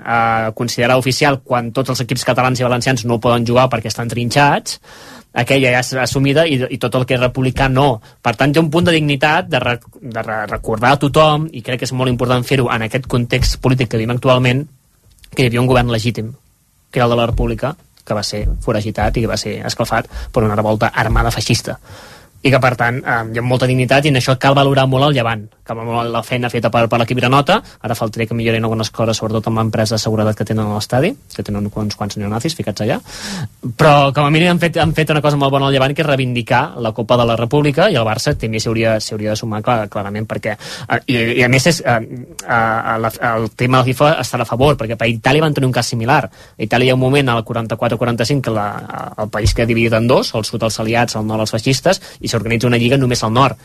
Speaker 5: considerada oficial quan tots els equips catalans i valencians no poden jugar perquè estan trinxats. Aquella ja és assumida i tot el que és republicà no. Per tant, hi ha un punt de dignitat de recordar a tothom, i crec que és molt important fer-ho en aquest context polític que vivim actualment, que hi havia un govern legítim, que era el de la república, que va ser foragitat i que va ser escalfat per una revolta armada feixista. I que, per tant, hi ha molta dignitat, i en això cal valorar molt el Llevant, cal valorar la feina feta per l'equip Granota. Ara faltaria que millorin algunes coses, sobretot amb l'empresa de seguretat que tenen a l'estadi, que tenen uns quants neonazis ficats allà, però com a mínim han fet una cosa molt bona al Llevant, que és reivindicar la Copa de la República, i el Barça també s'hi hauria de sumar clarament, perquè i a més el tema de la FIFA està a favor, perquè per Itàlia van tenir un cas similar. A Itàlia hi ha un moment al 44-45 que el país queda dividit en dos, el sud els aliats, el nord els feixistes, i s'organitza una lliga només al nord,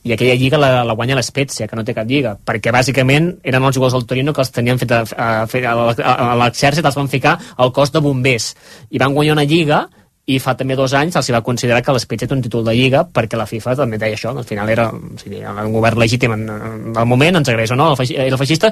Speaker 5: i aquella lliga la guanya l'Spezia, que no té cap lliga, perquè bàsicament eren els jugadors del Torino que els tenien fet a l'exèrcit, els van ficar al cos de bombers, i van guanyar una lliga, i fa també 2 anys els va considerar que l'Spezia té un títol de lliga, perquè la FIFA també deia això, al final era un govern legítim en el moment, ens agraeix o no, el feixista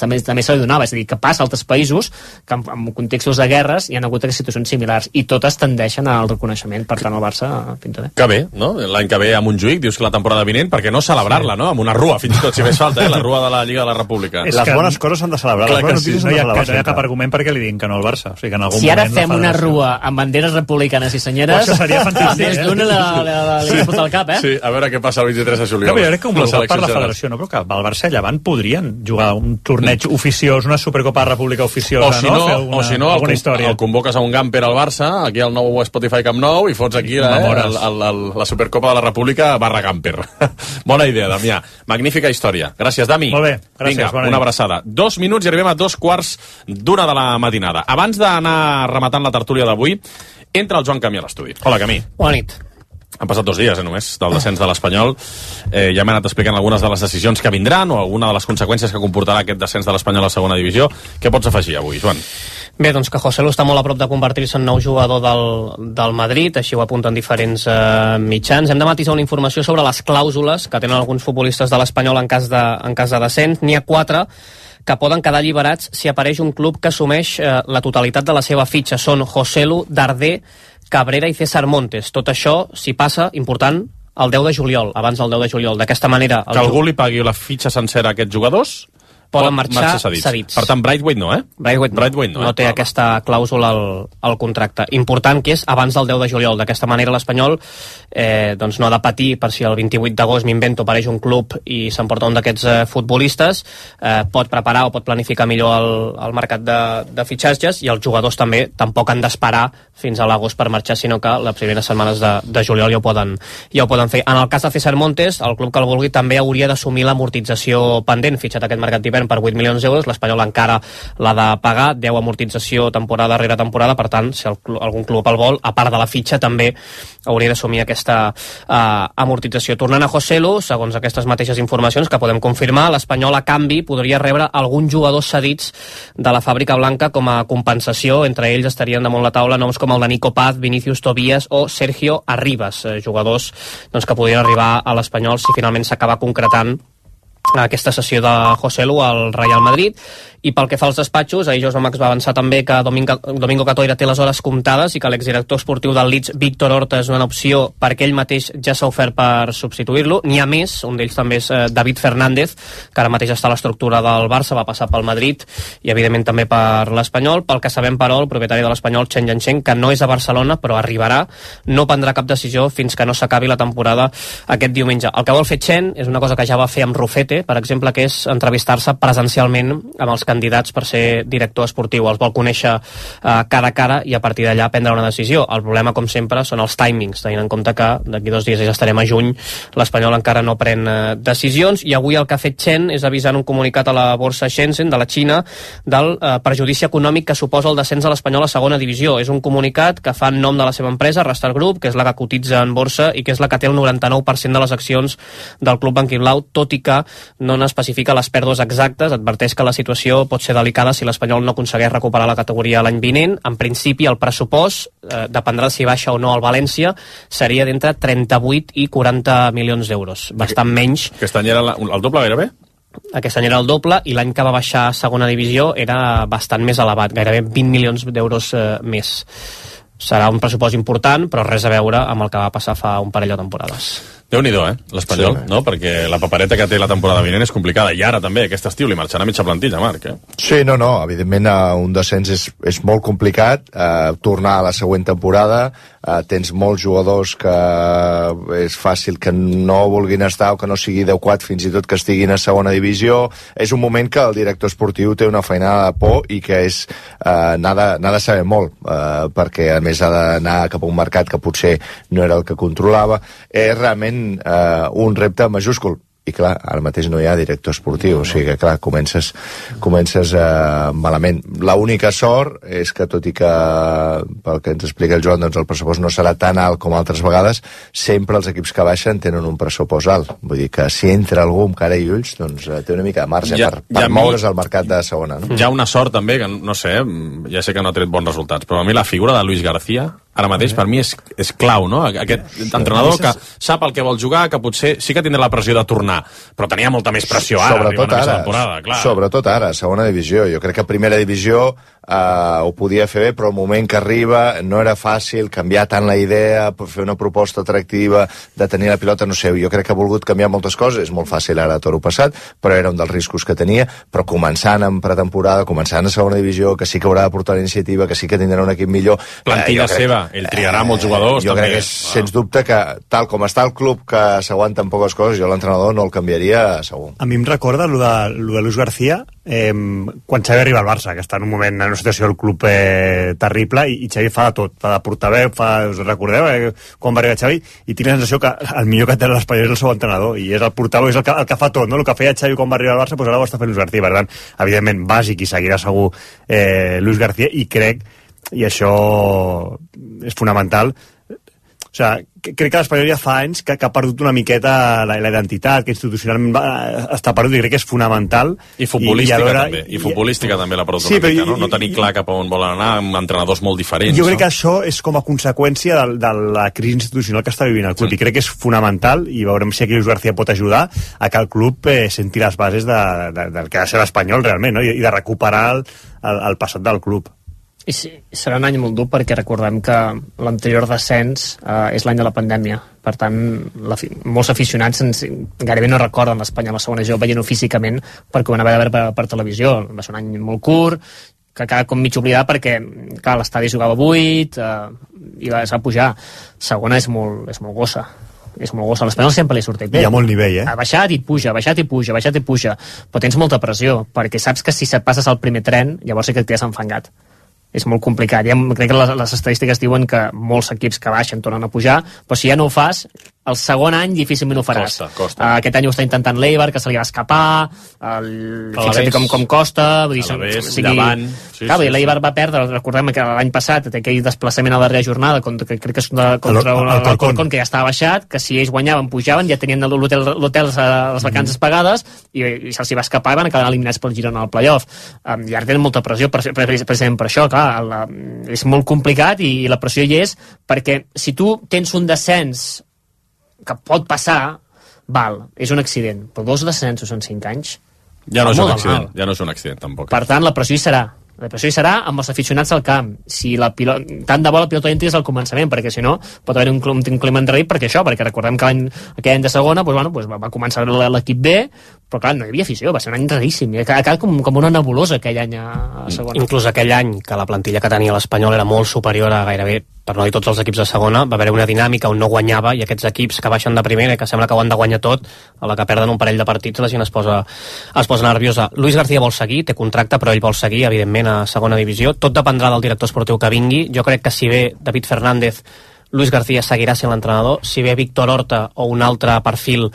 Speaker 5: també se li donava, és a dir, que passa a altres països que en contextos de guerres hi ha hagut situacions similars, i totes tendeixen al reconeixement. Per tant, el Barça pinta bé.
Speaker 1: Que bé, no? L'any que ve a Montjuïc, dius que la temporada vinent, perquè no celebrar-la, no? Amb una rua, fins i tot, si fes falta, la rua de la Lliga de la República.
Speaker 2: Les bones coses s'han de celebrar.
Speaker 7: Clar que sí, no hi ha cap argument perquè li diguin que no al Barça. O sigui, que en algun
Speaker 5: si ara fem una rua amb banderes republicanes i senyeres,
Speaker 7: això seria fantàstic,
Speaker 5: més d'una li pot al cap,
Speaker 1: Sí, a veure què passa el 23 de juliol.
Speaker 7: No, jo crec que un bloc per la federació, no? Però que el Barça i Llevant podrien jugar un torneig oficiós, una Supercopa de República oficiosa,
Speaker 1: o si no, el convoques a un gamper al Barça, aquí al nou Spotify Camp Nou, i fots aquí la Supercopa de la República /gamper. Bona idea, Damià. Magnífica història. Gràcies, Dami.
Speaker 7: Molt bé, gràcies.
Speaker 1: Vinga, una abraçada. 2 minuts i arribem a 2:15 de la matinada. Abans d'anar rematant la tertúlia d'avui, entra el Joan Camí a l'estudi. Hola, Camí.
Speaker 5: Bona nit.
Speaker 1: Han passat 2 dies, només, del descens de l'Espanyol. Ja m'he anat explicant algunes de les decisions que vindran o alguna de les conseqüències que comportarà aquest descens de l'Espanyol a la segona divisió. Què pots afegir avui, Joan?
Speaker 9: Bé, doncs que Joselu està molt a prop de convertir-se en nou jugador del Madrid, així ho apunten diferents mitjans. Hem de matisar una informació sobre les clàusules que tenen alguns futbolistes de l'Espanyol en cas de descens. N'hi ha 4 que poden quedar alliberats si apareix un club que assumeix la totalitat de la seva fitxa. Són Joselu, Darder, Cabrera i César Montes. Tot això, si passa, important, el 10 de juliol, abans del 10 de juliol. D'aquesta manera...
Speaker 1: Que algú li pagui la fitxa sencera a aquests jugadors,
Speaker 9: poden marxar cedits.
Speaker 1: Per tant, Braithwaite no,
Speaker 9: Braithwaite no té aquesta clàusula al contracte. Important que és abans del 10 de juliol. D'aquesta manera l'Espanyol doncs no ha de patir per si el 28 d'agost m'invento apareix un club i s'emporta un d'aquests futbolistes, pot preparar o pot planificar millor el mercat de fitxatges, i els jugadors també tampoc han d'esperar fins a l'agost per marxar, sinó que les primeres setmanes de juliol ja ho poden fer. En el cas de César Montes, el club que el vulgui també hauria d'assumir l'amortització pendent, fitxat aquest mercat d'hivern per 8 milions d'euros, l'Espanyol encara l'ha de pagar, 10 amortització temporada rere temporada, per tant, si algun club el vol, a part de la fitxa, també hauria d'assumir aquesta amortització. Tornant a Joselu, segons aquestes mateixes informacions que podem confirmar, l'Espanyol a canvi podria rebre alguns jugadors cedits de la Fàbrica Blanca com a compensació. Entre ells estarien damunt la taula noms com el de Nico Paz, Vinicius Tobías o Sergio Arribas, jugadors doncs, que podrien arribar a l'Espanyol si finalment s'acaba concretant aquesta sessió de Joselu al Real Madrid. I pel que fa als despatxos, ahir José Max va avançar també que Domingo Catoira té les hores comptades i que l'exdirector esportiu del Leeds, Víctor Horta, és una opció perquè ell mateix ja s'ha ofert per substituir-lo. N'hi ha més, un d'ells també és David Fernández, que ara mateix està a l'estructura del Barça, va passar pel Madrid i evidentment també per l'Espanyol. Pel que sabem, però, el propietari de l'Espanyol, Chen Yanchen, que no és a Barcelona però arribarà, no prendrà cap decisió fins que no s'acabi la temporada aquest diumenge. El que vol fer Chen és una cosa que ja va fer amb Rufete, per exemple, que és entrevistar-se presencialment amb els candidats per ser director esportiu. Els vol conèixer cara a cara i a partir d'allà prendre una decisió. El problema, com sempre, són els timings, tenint en compte que d'aquí 2 dies ja estarem a juny, l'Espanyol encara no pren decisions, i avui el que ha fet Chen és avisar en un comunicat a la borsa Shenzhen de la Xina del perjudici econòmic que suposa el descens de l'Espanyol a segona divisió. És un comunicat que fa en nom de la seva empresa, Rastar Group, que és la que cotitza en borsa i que és la que té el 99% de les accions del club blanquiblau, tot i que no n'especifica les pèrdues exactes. Adverteix que la situació pot ser delicada si l'Espanyol no aconsegueix recuperar la categoria l'any vinent. En principi, el pressupost, dependrà si baixa o no el València, seria d'entre 38 i 40 milions d'euros. Bastant menys.
Speaker 1: Aquest any era el doble gairebé?
Speaker 9: Aquest any era el doble, i l'any que va baixar a segona divisió era bastant més elevat, gairebé 20 milions d'euros més. Serà un pressupost important, però res a veure amb el que va passar fa un parell de temporades.
Speaker 1: Déu-n'hi-do, l'Espanyol, no? Perquè la papereta que té la temporada vinent és complicada, i ara també, aquest estiu, li marxarà mitja plantilla, Marc,
Speaker 4: Sí, no, evidentment un descens és molt complicat, tornar a la següent temporada, tens molts jugadors que és fàcil que no vulguin estar o que no sigui adequat fins i tot que estiguin a segona divisió. És un moment que el director esportiu té una feinada de por i que és n'ha de saber molt, perquè a més ha d'anar cap a un mercat que potser no era el que controlava. És realment un repte majúscul, i clar, ara mateix no hi ha director esportiu, o sigui que clar, comences malament. L'única sort és que, tot i que pel que ens explica el Joan, doncs el pressupost no serà tan alt com altres vegades, sempre els equips que baixen tenen un pressupost alt, vull dir que si entra algú amb cara i ulls, doncs té una mica de marge per moure's al mercat de segona, no?
Speaker 1: Hi ha una sort també, que no sé, ja sé que no ha tret bons resultats, però a mi la figura de Luis García ara mateix per mi és clau, no? Aquest entrenador que sap el que vol jugar, que potser sí que tindrà la pressió de tornar, però tenia molta més pressió ara,
Speaker 4: sobretot ara, temporada, clar. Sobretot ara, segona divisió. Jo crec que primera divisió ho podia fer bé, però el moment que arriba no era fàcil canviar tant la idea, fer una proposta atractiva de tenir la pilota, no sé, jo crec que ha volgut canviar moltes coses, és molt fàcil ara a toro passat, però era un dels riscos que tenia, però començant en pretemporada, començant a segona divisió, que sí que haurà de portar la iniciativa, que sí que tindrà un equip millor.
Speaker 1: Plantilla seva, ell triarà molts jugadors.
Speaker 4: Jo crec que és, sens dubte, que tal com està el club, que s'aguanten poques coses, jo l'entrenador no el canviaria segur.
Speaker 2: A mi em recorda lo de Luis García, quan Xavi arriba al Barça, que està en un moment, en una situació del club terrible, i Xavi fa de tot, fa de portaveu, us recordeu quan va arribar Xavi, i tinc la sensació que el millor que té l'Espanyol és el seu entrenador, i és el portaveu, és el que fa tot, no? El que feia Xavi quan va arribar al Barça, doncs ara ho està fent Luis García. Per tant, evidentment, bàsic, i seguirà segur Luis García, i crec, i això és fonamental, o sigui, crec que l'Espanyol ja fa anys que ha perdut una miqueta la identitat, que institucionalment està perdut, i crec que és fonamental.
Speaker 1: I futbolística també l'ha perdut una mica, no? No tenir clar cap a on volen anar, amb entrenadors molt diferents.
Speaker 2: Jo crec que això és com a conseqüència de la crisi institucional que està vivint el club, i crec que és fonamental, i veurem si aquí Luis García pot ajudar a que el club senti les bases del que ha de ser l'Espanyol realment, no? I de recuperar el passat del club.
Speaker 5: I sí, serà un any molt dur perquè recordem que l'anterior descens és l'any de la pandèmia. Per tant, molts aficionats gairebé no recorden l'Espanya a la segona divisió veient-ho físicament perquè ho van haver de veure per televisió. Va ser un any molt curt, que acaba com mig oblidat perquè clar, l'estadi jugava buit i es va pujar. Segona és molt gossa. És molt gossa. L'Espanyol sempre li sortit bé.
Speaker 2: Hi ha molt nivell,
Speaker 5: Ha baixat i puja, però tens molta pressió, perquè saps que si et passes al primer tren, llavors sí que et quedes enfangat. És molt complicat. Crec que les estadístiques diuen que molts equips que baixen tornen a pujar, però si ja no ho fas, el segon any difícilment ho faràs.
Speaker 1: Costa.
Speaker 5: Aquest any ho està intentant l'Eibar, que se li va escapar, fixa't com costa, vull dir,
Speaker 1: Llevant.
Speaker 5: L'Eibar va perdre, recordem que l'any passat té aquell desplaçament a la darrera jornada, que crec que és contra el Corcón, que ja estava baixat, que si ells guanyaven, pujaven, ja tenien l'hotel, les vacances pagades, i se'ls va escapar i van acabar eliminats pel Girona al playoff. I ara tenen molta pressió, precisament per això, clar, és molt complicat i la pressió hi és, perquè si tu tens un descens que pot passar, és un accident, però 2 descensos en 5 anys
Speaker 1: ja no és un accident tampoc.
Speaker 5: Per tant, la pressió hi serà amb els aficionats al camp. Si tant de bo la pilota entri des del començament, perquè si no pot haver un clima enrarit, perquè recordem que aquell any de segona va començar l'equip B, però clar, no hi havia afició, va ser un any raríssim, acaba com una nebulosa aquell any a segona.
Speaker 9: Inclús aquell any que la plantilla que tenia l'Espanyol era molt superior a gairebé, per no dir tots els equips de segona, va haver una dinàmica on no guanyava, i aquests equips que baixen de primera i que sembla que ho han de guanyar tot, a la que perden un parell de partits la gent es posa nerviosa. Luis García vol seguir, té contracte, però ell vol seguir, evidentment, a segona divisió. Tot dependrà del director esportiu que vingui. Jo crec que si ve David Fernández, Luis García seguirà sent l'entrenador. Si ve Víctor Horta o un altre perfil,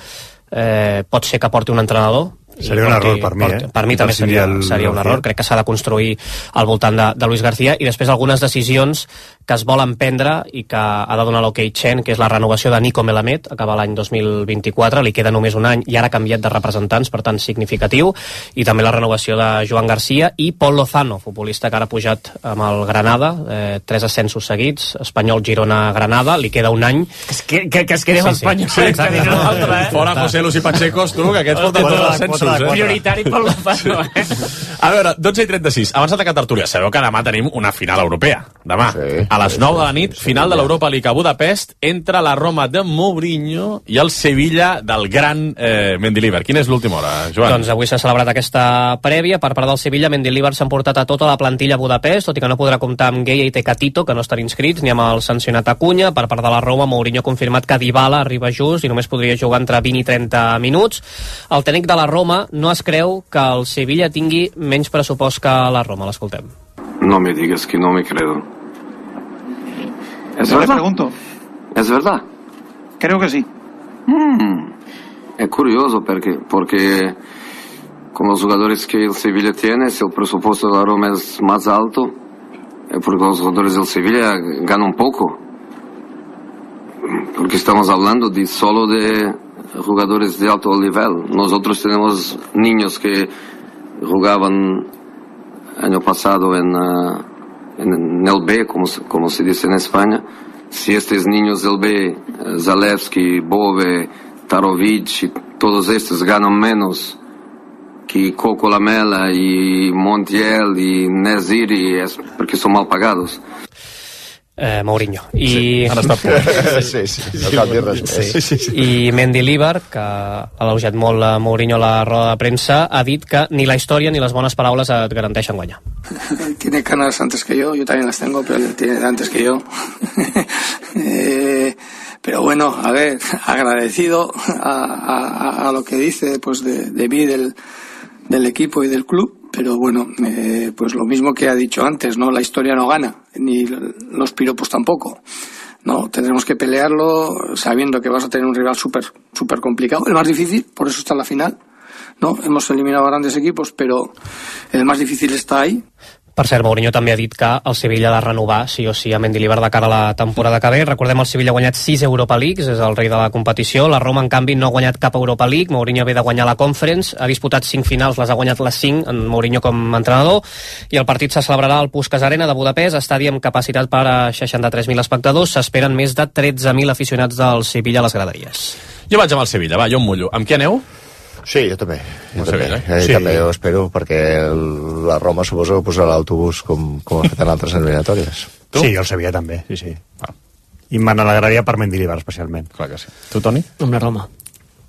Speaker 9: pot ser que porti un entrenador.
Speaker 2: Seria un error per mi,
Speaker 9: Per mi també seria un error. Crec que s'ha de construir al voltant de Luis García, i després algunes decisions que es volen prendre i que ha de donar l'ok Chen, que és la renovació de Nico Melamed, acaba l'any 2024, li queda només un any i ara ha canviat de representants, per tant significatiu, i també la renovació de Joan Garcia i Pol Lozano, futbolista que ara ha pujat amb el Granada, 3 ascensos seguits, Espanyol, Girona, Granada, li queda un any.
Speaker 5: Que es quedi amb Espanyol.
Speaker 9: Sí, exacte.
Speaker 1: Fora José Luis i Pachecos, tu, que aquests porten tots els ascensos.
Speaker 5: Prioritari Pol Lozano,
Speaker 1: A veure, 12:36, abans d'atacar tertúlia, sabeu que demà tenim una final europea. Demà, a les 9 de la nit, final de l'Europa League a Budapest entre la Roma de Mourinho i el Sevilla del gran Mendilibar. Quina és l'última hora, Joan?
Speaker 9: Doncs avui s'ha celebrat aquesta prèvia. Per part del Sevilla, Mendilibar s'ha emportat a tota la plantilla a Budapest, tot i que no podrà comptar amb Gueye i Tecatito, que no estan inscrits, ni amb el sancionat Acuña. Per part de la Roma, Mourinho ha confirmat que Dybala arriba just i només podria jugar entre 20 i 30 minuts. El tècnic de la Roma no es creu que el Sevilla tingui menys pressupost que la Roma. L'escoltem.
Speaker 10: No me digas que no me creo.
Speaker 11: ¿Es verdad? Le pregunto.
Speaker 10: ¿Es verdad?
Speaker 11: Creo que sí.
Speaker 10: Es curioso porque con los jugadores que el Sevilla tiene, si el presupuesto de la Roma es más alto, es porque los jugadores del Sevilla ganan poco. Porque estamos hablando solo de jugadores de alto nivel. Nosotros tenemos niños que jugaban año pasado en el B, como se dice en España. Si estos niños del B, Zalewski, Bove, Tarovic y todos estos ganan menos que Coco Lamela y Montiel y Neziri, es porque son mal pagados.
Speaker 9: Mourinho.
Speaker 1: Han estat
Speaker 4: no cal dir res més.
Speaker 9: I Mendilibar, que ha elogiat molt a Mourinho a la roda de premsa, ha dit que ni la història ni les bones paraules et garanteixen guanyar.
Speaker 12: Tiene ganas antes que yo también las tengo, pero él tiene antes que yo. Pero bueno, a ver, agradecido a lo que dice pues de mí, del equipo y del club. Pero bueno, pues lo mismo que ha dicho antes, ¿no? La historia no gana, ni los piropos tampoco. No, tendremos que pelearlo sabiendo que vas a tener un rival súper complicado, el más difícil, por eso está en la final. No, hemos eliminado a grandes equipos, pero el más difícil está ahí.
Speaker 9: Per cert, Mourinho també ha dit que el Sevilla ha de renovar sí o sí a Mendilibar de cara a la temporada que ve. Recordem, el Sevilla ha guanyat 6 Europa Leagues, és el rei de la competició. La Roma, en canvi, no ha guanyat cap Europa League. Mourinho ve de guanyar la Conference, ha disputat 5 finals, les ha guanyat les 5, en Mourinho com a entrenador, i el partit se celebrarà al Puskás Arena de Budapest, estadi amb capacitat per a 63.000 espectadors. S'esperen més de 13.000 aficionats del Sevilla a les graderies.
Speaker 1: Jo vaig amb el Sevilla, jo em mullo. Amb qui aneu?
Speaker 4: Sí, jo també.
Speaker 1: Sí.
Speaker 4: També ho espero, perquè la Roma suposo que posarà l'autobús com ha fet en altres eliminatòries.
Speaker 2: Tu? Sí, jo el sabia també, sí. I me n'alegraria per Mendilibar, especialment.
Speaker 1: Clar que sí. Tu, Toni?
Speaker 5: Amb la Roma.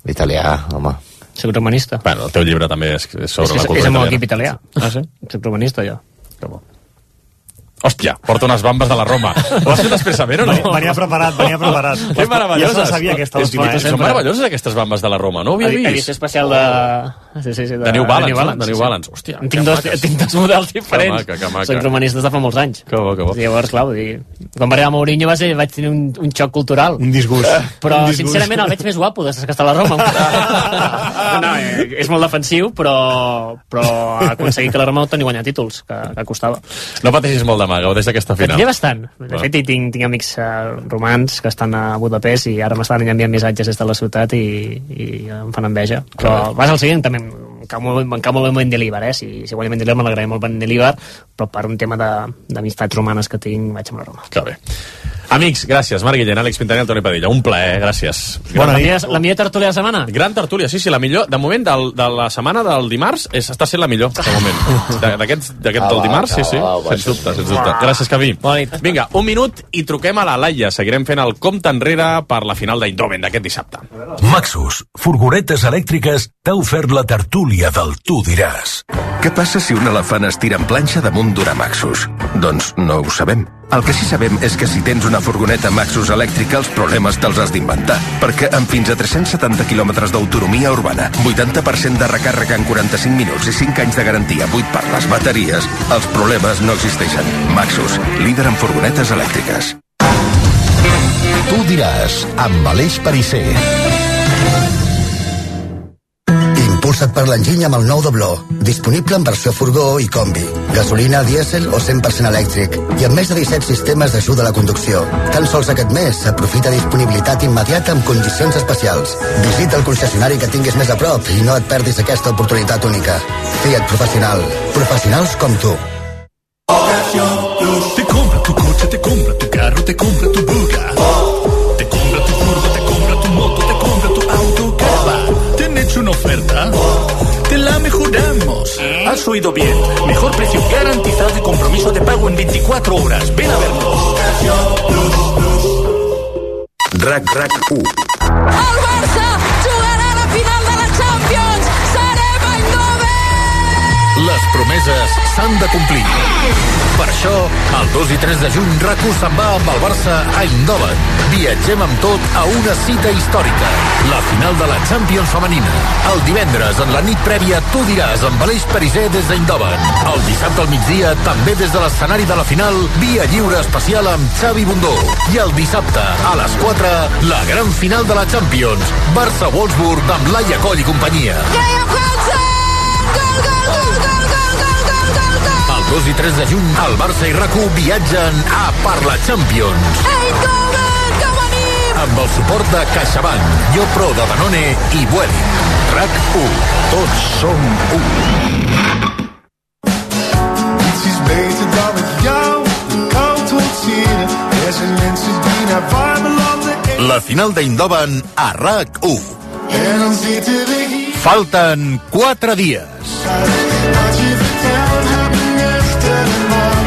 Speaker 4: L'italià, home.
Speaker 5: Soc romanista.
Speaker 1: Bueno, el teu llibre també és sobre la cultura italiana.
Speaker 5: És el meu equip italià.
Speaker 1: Ah, sí?
Speaker 5: Soc romanista, jo.
Speaker 1: Que bo. Hòstia, porta unes bambes de la Roma. Ho has fet expressament o no?
Speaker 2: Venia preparat.
Speaker 1: Que meravelloses.
Speaker 2: Ja se sabia aquesta última.
Speaker 1: Són meravelloses aquestes bambes de la Roma, no ho havia vist?
Speaker 5: Edició especial de...
Speaker 1: De New Balance. Hòstia,
Speaker 5: tinc dos models diferents.
Speaker 1: Que maca.
Speaker 5: Soc romanista de fa molts anys.
Speaker 1: Que bo.
Speaker 5: Llavors, clar, quan va arribar Mourinho vaig tenir un xoc cultural.
Speaker 2: Un disgust.
Speaker 5: Però, sincerament, el veig més guapo des que està a la Roma. No, és molt defensiu, però ha aconseguit que la Roma no torni a guanyar títols, que costava.
Speaker 1: No pateixis molt demà, gaudeix d'aquesta final.
Speaker 5: Pateixia bastant. De fet, tinc amics romans que estan a Budapest i ara m'estan enviant missatges des de la ciutat i em fan enveja. Però vas al seguint, també em cau molt el Mendilibar, si guanya Mendilibar m'alegraré molt Mendilibar, però per un tema d'amistats romanes que tinc vaig amb la Roma.
Speaker 1: Que bé. Amics, gràcies. Marc Guillén, Àlex Pintanell, Toni Padilla. Un plaer, gràcies.
Speaker 5: La millor tertúlia de la setmana?
Speaker 1: Gran tertúlia, sí, la millor. De moment, de la setmana del dimarts, està sent la millor, de moment. D'aquest del dimarts, sí. Sens dubte. Gràcies, Cavi. Vinga, un minut i truquem a la Laia. Seguirem fent el compte enrere per la final d'Eindhoven d'aquest dissabte.
Speaker 11: Maxus, furgonetes elèctriques, t'ha ofert la tertúlia del Tu diràs.
Speaker 13: Què passa si un elefant es tira en planxa damunt d'una Maxus? Doncs no ho sabem. El que sí sabem és que si tens una furgoneta Maxus elèctrica, els problemes te'ls has d'inventar. Perquè amb fins a 370 quilòmetres d'autonomia urbana, 80% de recàrrega en 45 minuts i 5 anys de garantia buit per les bateries, els problemes no existeixen. Maxus, líder en furgonetes elèctriques.
Speaker 11: Tu diràs, amb Aleix Perisser.
Speaker 14: Impulsa't per l'enginy amb el nou Dobló. Disponible en versió furgó i combi. Gasolina, dièsel o 100% elèctric. I amb més de 17 sistemes d'ajuda a la conducció. Tan sols aquest mes aprofita disponibilitat immediata amb condicions especials. Visita el concessionari que tinguis més a prop i no et perdis aquesta oportunitat única. Fiat Professional. Professionals com tu.
Speaker 11: Te compra tu coche, te compra tu carro, te compra tu buga. Te compra tu furgo, te compra tu moto, te compra tu auto, caravan. ¿Te han hecho una oferta? Te la mejoramos. Has oído bien. Mejor precio garantizado y compromiso de pago en 24 horas. Ven a vernos.
Speaker 13: RAC1.
Speaker 15: El Barça jugarà la final de la Champions. Serem a Eindhoven.
Speaker 11: Les promeses s'han de complir. Per això, el 2 i 3 de juny, RAC1 se'n va amb el Barça a Eindhoven. Viatgem amb tot a una cita històrica. La final de la Champions femenina. El divendres, en la nit prèvia, Tu diràs amb Aleix Perisser des d'Eindhoven. El dissabte al migdia, també des de l'escenari de la final, via lliure especial amb Xavi Bundó. I el dissabte, a les 4, la gran final de la Champions. Barça-Wolfsburg amb Laia Coll i companyia. El 2 i 3 de juny, el Barça i RAC1 viatgen a Per la Champions. Amb el suport de CaixaBank, Yopro de Danone i Vueling. RAC1. Tots som u.
Speaker 16: Iets is beter dan met jou de kou trotseren. Er zijn mensen die naar warme landen...
Speaker 11: La final d'Eindhoven a RAC1.
Speaker 16: En dan zitten we hier.
Speaker 11: Falten 4 dies.
Speaker 16: Wat je vertelt, houdt me nuchter en man.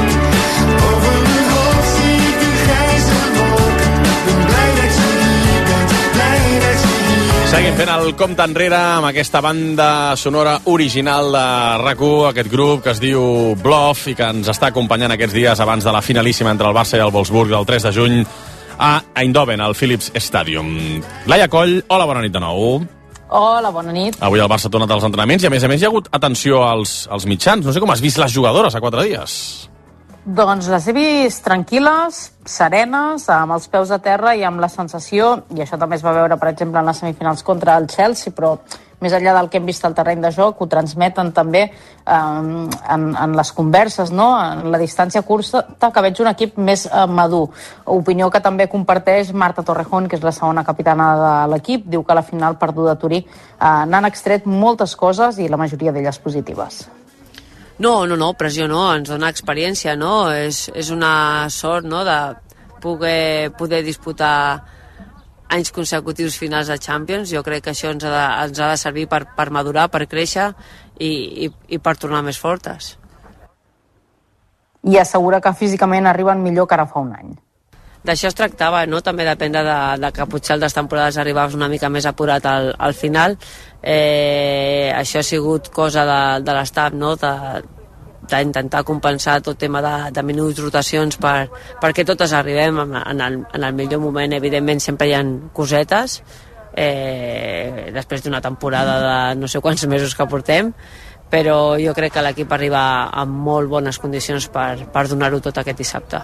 Speaker 16: Over mijn hoofd zie ik de grijze wolken. Ben blij dat je hier bent, blij dat je hier.
Speaker 1: Seguim fent el compte enrere amb aquesta banda sonora original de RAC1, aquest grup que es diu Bluff i que ens està acompanyant aquests dies abans de la finalíssima entre el Barça i el Wolfsburg del 3 de juny a Eindhoven, al Philips Stadium. Laia Coll, hola, bona nit de nou.
Speaker 17: Hola, bona nit.
Speaker 1: Avui el Barça ha tornat als entrenaments i a més hi ha hagut atenció als mitjans. No sé com has vist les jugadores a 4 dies.
Speaker 17: Doncs les he vist tranquil·les, serenes, amb els peus a terra i amb la sensació, i això també es va veure, per exemple, en les semifinals contra el Chelsea, però més enllà del que hem vist al terreny de joc, ho transmeten també en les converses, no? En la distància curta, que veig un equip més madur. Opinió que també comparteix Marta Torrejón, que és la segona capitana de l'equip. Diu que a la final perduda a Turí n'han extret moltes coses i la majoria d'elles positives.
Speaker 18: No, pressió no, ens dona experiència, no? És una sort, no?, de poder disputar anys consecutius finals de Champions. Jo crec que això ens ha de servir per madurar, per créixer i per tornar més fortes.
Speaker 17: I assegura que físicament arriben millor que ara fa un any.
Speaker 18: D'això es tractava, no? També depèn de que potser altres temporades arribaves una mica més apurat al final. Això ha sigut cosa de l'estat, no? D'intentar compensar tot tema de minuts, rotacions, perquè totes arribem en el millor moment. Evidentment sempre hi ha cosetes, després d'una temporada de no sé quants mesos que portem, però jo crec que l'equip arriba amb molt bones condicions per donar-ho tot aquest dissabte.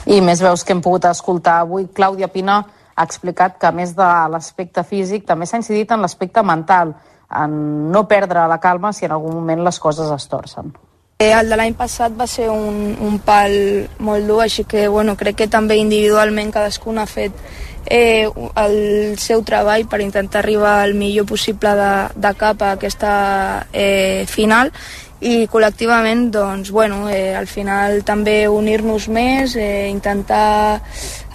Speaker 17: I més veus que hem pogut escoltar avui. Clàudia Pina ha explicat que a més de l'aspecte físic també s'ha incidit en l'aspecte mental, en no perdre la calma si en algun moment les coses es torcen.
Speaker 19: El de l'any passat va ser un pal molt dur, així que crec que també individualment cadascun ha fet el seu treball per intentar arribar al millor possible de cap a aquesta final, i col·lectivament al final també unir-nos més, intentar...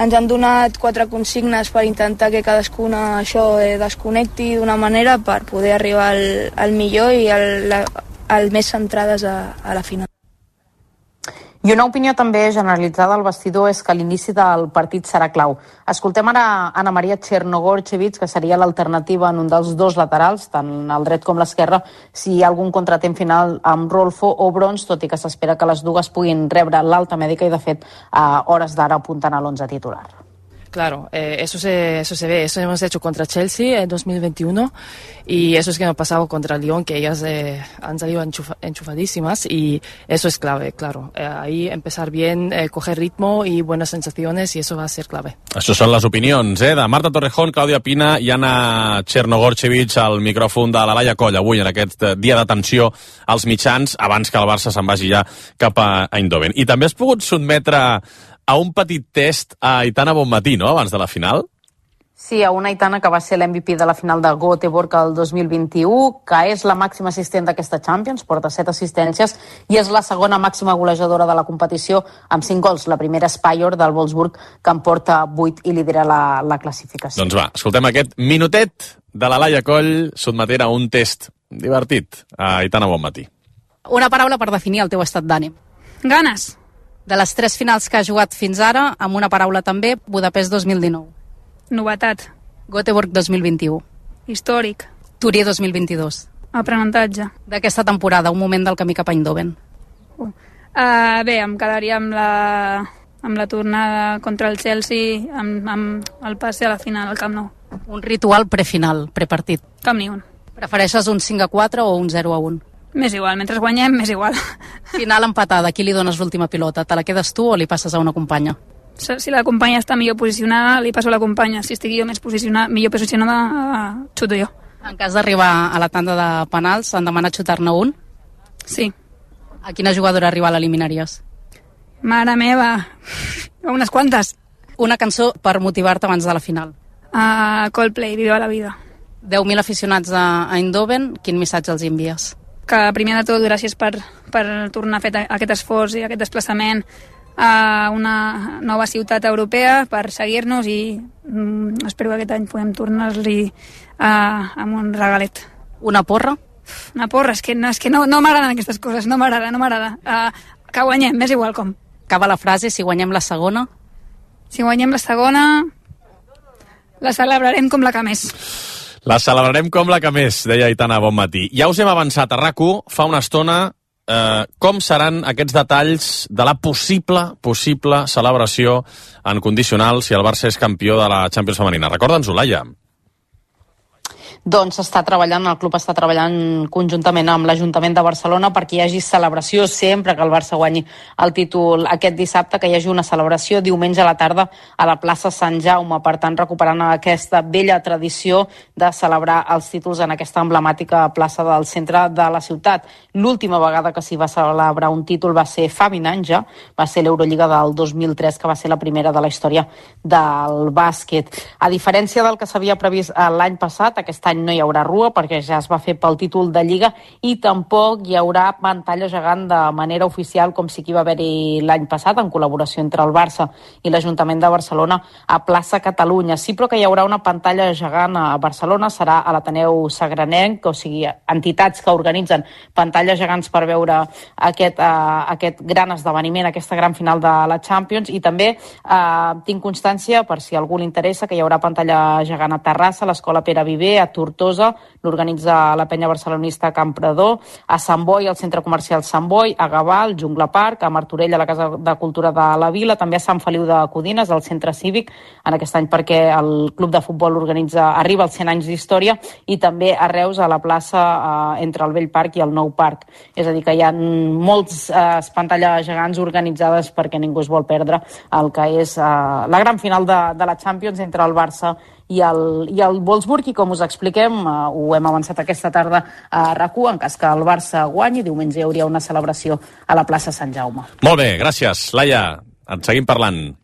Speaker 19: Ens han donat 4 consignes per intentar que cadascuna això desconnecti d'una manera per poder arribar al millor i al més centrades a la final.
Speaker 17: I una opinió també generalitzada al vestidor és que l'inici del partit serà clau. Escoltem ara Anna Maria Chernogorchevich, que seria l'alternativa en un dels dos laterals, tant el dret com l'esquerra, si hi ha algun contratemps final amb Rolfo o Brons, tot i que s'espera que les dues puguin rebre l'alta mèdica i, de fet, a hores d'ara apunten a l'11 titular.
Speaker 20: Claro, eso se ve, eso hemos hecho contra Chelsea en 2021 y eso es que hemos pasado contra Lyon, que ellas han salido enchufadísimas y eso es clave, claro. Ahí empezar bien, coger ritmo y buenas sensaciones y eso va a ser clave.
Speaker 1: Això són les opinions de Marta Torrejón, Clàudia Pina i Anna Chernogorchevich al micròfon de la Laia Coll avui en aquest dia d'atenció als mitjans abans que el Barça se'n vagi ja cap a Eindhoven. I també has pogut sotmetre a un petit test a Aitana Bonmatí, no?, abans de la final?
Speaker 17: Sí, a una Aitana que va ser l'MVP de la final de Göteborg el 2021, que és la màxima assistent d'aquesta Champions, porta 7 assistències, i és la segona màxima golejadora de la competició amb 5 gols. La primera és Pajor del Wolfsburg, que en porta 8 i lidera la classificació.
Speaker 1: Doncs va, escoltem aquest minutet de la Laia Coll sotmetent a un test divertit a Aitana Bonmatí.
Speaker 21: Una paraula per definir el teu estat d'ànim.
Speaker 22: Ganes.
Speaker 21: De les 3 finals que ha jugat fins ara, amb una paraula també, Budapest 2019.
Speaker 22: Novetat.
Speaker 21: Göteborg 2021.
Speaker 22: Històric.
Speaker 21: Turí 2022.
Speaker 22: Aprenentatge.
Speaker 21: D'aquesta temporada, un moment del camí cap a Eindhoven.
Speaker 22: Bé, em quedaria amb la tornada contra el Chelsea, amb el passe a la final al Camp Nou.
Speaker 21: Un ritual prefinal, prepartit.
Speaker 22: Cap ni un.
Speaker 21: Prefereixes un 5-4 o un 0-1?
Speaker 22: M'és igual, mentre guanyem, m'és igual.
Speaker 21: Final empatada, a qui li dones l'última pilota? Te la quedes tu o li passes a una companya?
Speaker 22: Si la companya està millor posicionada, li passo a la companya. Si estigui jo millor posicionada, xuto jo.
Speaker 21: En cas d'arribar a la tanda de penals, han demanat xutar-ne un?
Speaker 22: Sí.
Speaker 21: A quina jugadora rival eliminaries?
Speaker 22: Mare meva, unes quantes.
Speaker 21: Una cançó per motivar-te abans de la final.
Speaker 22: Coldplay, Viva la vida.
Speaker 21: 10.000 aficionats a Eindhoven, quin missatge els envies?
Speaker 22: Que primer de tot gràcies per tornar a fer aquest esforç i aquest desplaçament a una nova ciutat europea, per seguir-nos, i espero que aquest any podem tornar-li amb un regalet.
Speaker 21: Una porra?
Speaker 22: Una porra, és que no m'agraden aquestes coses, no m'agrada. Que guanyem, m'és igual com.
Speaker 21: Acaba la frase, si guanyem la segona?
Speaker 22: Si guanyem la segona, la celebrarem com la que més.
Speaker 1: La celebrarem com la que més, deia Aitana Bonmatí. Ja us hem avançat a RAC1 fa una estona com seran aquests detalls de la possible celebració en condicional si el Barça és campió de la Champions femenina. Recorda'ns-ho, Laia.
Speaker 17: Doncs el club està treballant conjuntament amb l'Ajuntament de Barcelona perquè hi hagi celebració sempre que el Barça guanyi el títol aquest dissabte, que hi hagi una celebració diumenge a la tarda a la plaça Sant Jaume, per tant recuperant aquesta vella tradició de celebrar els títols en aquesta emblemàtica plaça del centre de la ciutat. L'última vegada que s'hi va celebrar un títol va ser fa 20 anys ja, va ser l'Eurolliga del 2003, que va ser la primera de la història del bàsquet. A diferència del que s'havia previst l'any passat, aquest any any no hi haurà rua perquè ja es va fer pel títol de Lliga i tampoc hi haurà pantalla gegant de manera oficial com sí que hi va haver-hi l'any passat en col·laboració entre el Barça i l'Ajuntament de Barcelona a Plaça Catalunya. Sí, però que hi haurà una pantalla gegant a Barcelona, serà a l'Ateneu Sagranenc, o sigui, entitats que organitzen pantalles gegants per veure aquest gran esdeveniment, aquesta gran final de la Champions, i també tinc constància, per si a algú li interessa, que hi haurà pantalla gegant a Terrassa, a l'Escola Pere Viver, a Tortosa, l'organitza la penya barcelonista Campredó, a Sant Boi, al Centre Comercial Sant Boi, a Gavà, al Jungla Park, a Martorell, a la Casa de Cultura de la Vila, també a Sant Feliu de Codines, al Centre Cívic, en aquest any perquè el Club de Futbol arriba als 100 anys d'història, i també a Reus, a la plaça entre el Vell Parc i el Nou Parc. És a dir, que hi ha molts pantalles gegants organitzades perquè ningú es vol perdre el que és la gran final de la Champions entre el Barça i el Wolfsburg, i com us expliquem, ho hem avançat aquesta tarda a RAC1, en cas que el Barça guanyi, diumenge hi hauria una celebració a la plaça Sant Jaume.
Speaker 1: Molt bé, gràcies, Laia. En seguim parlant.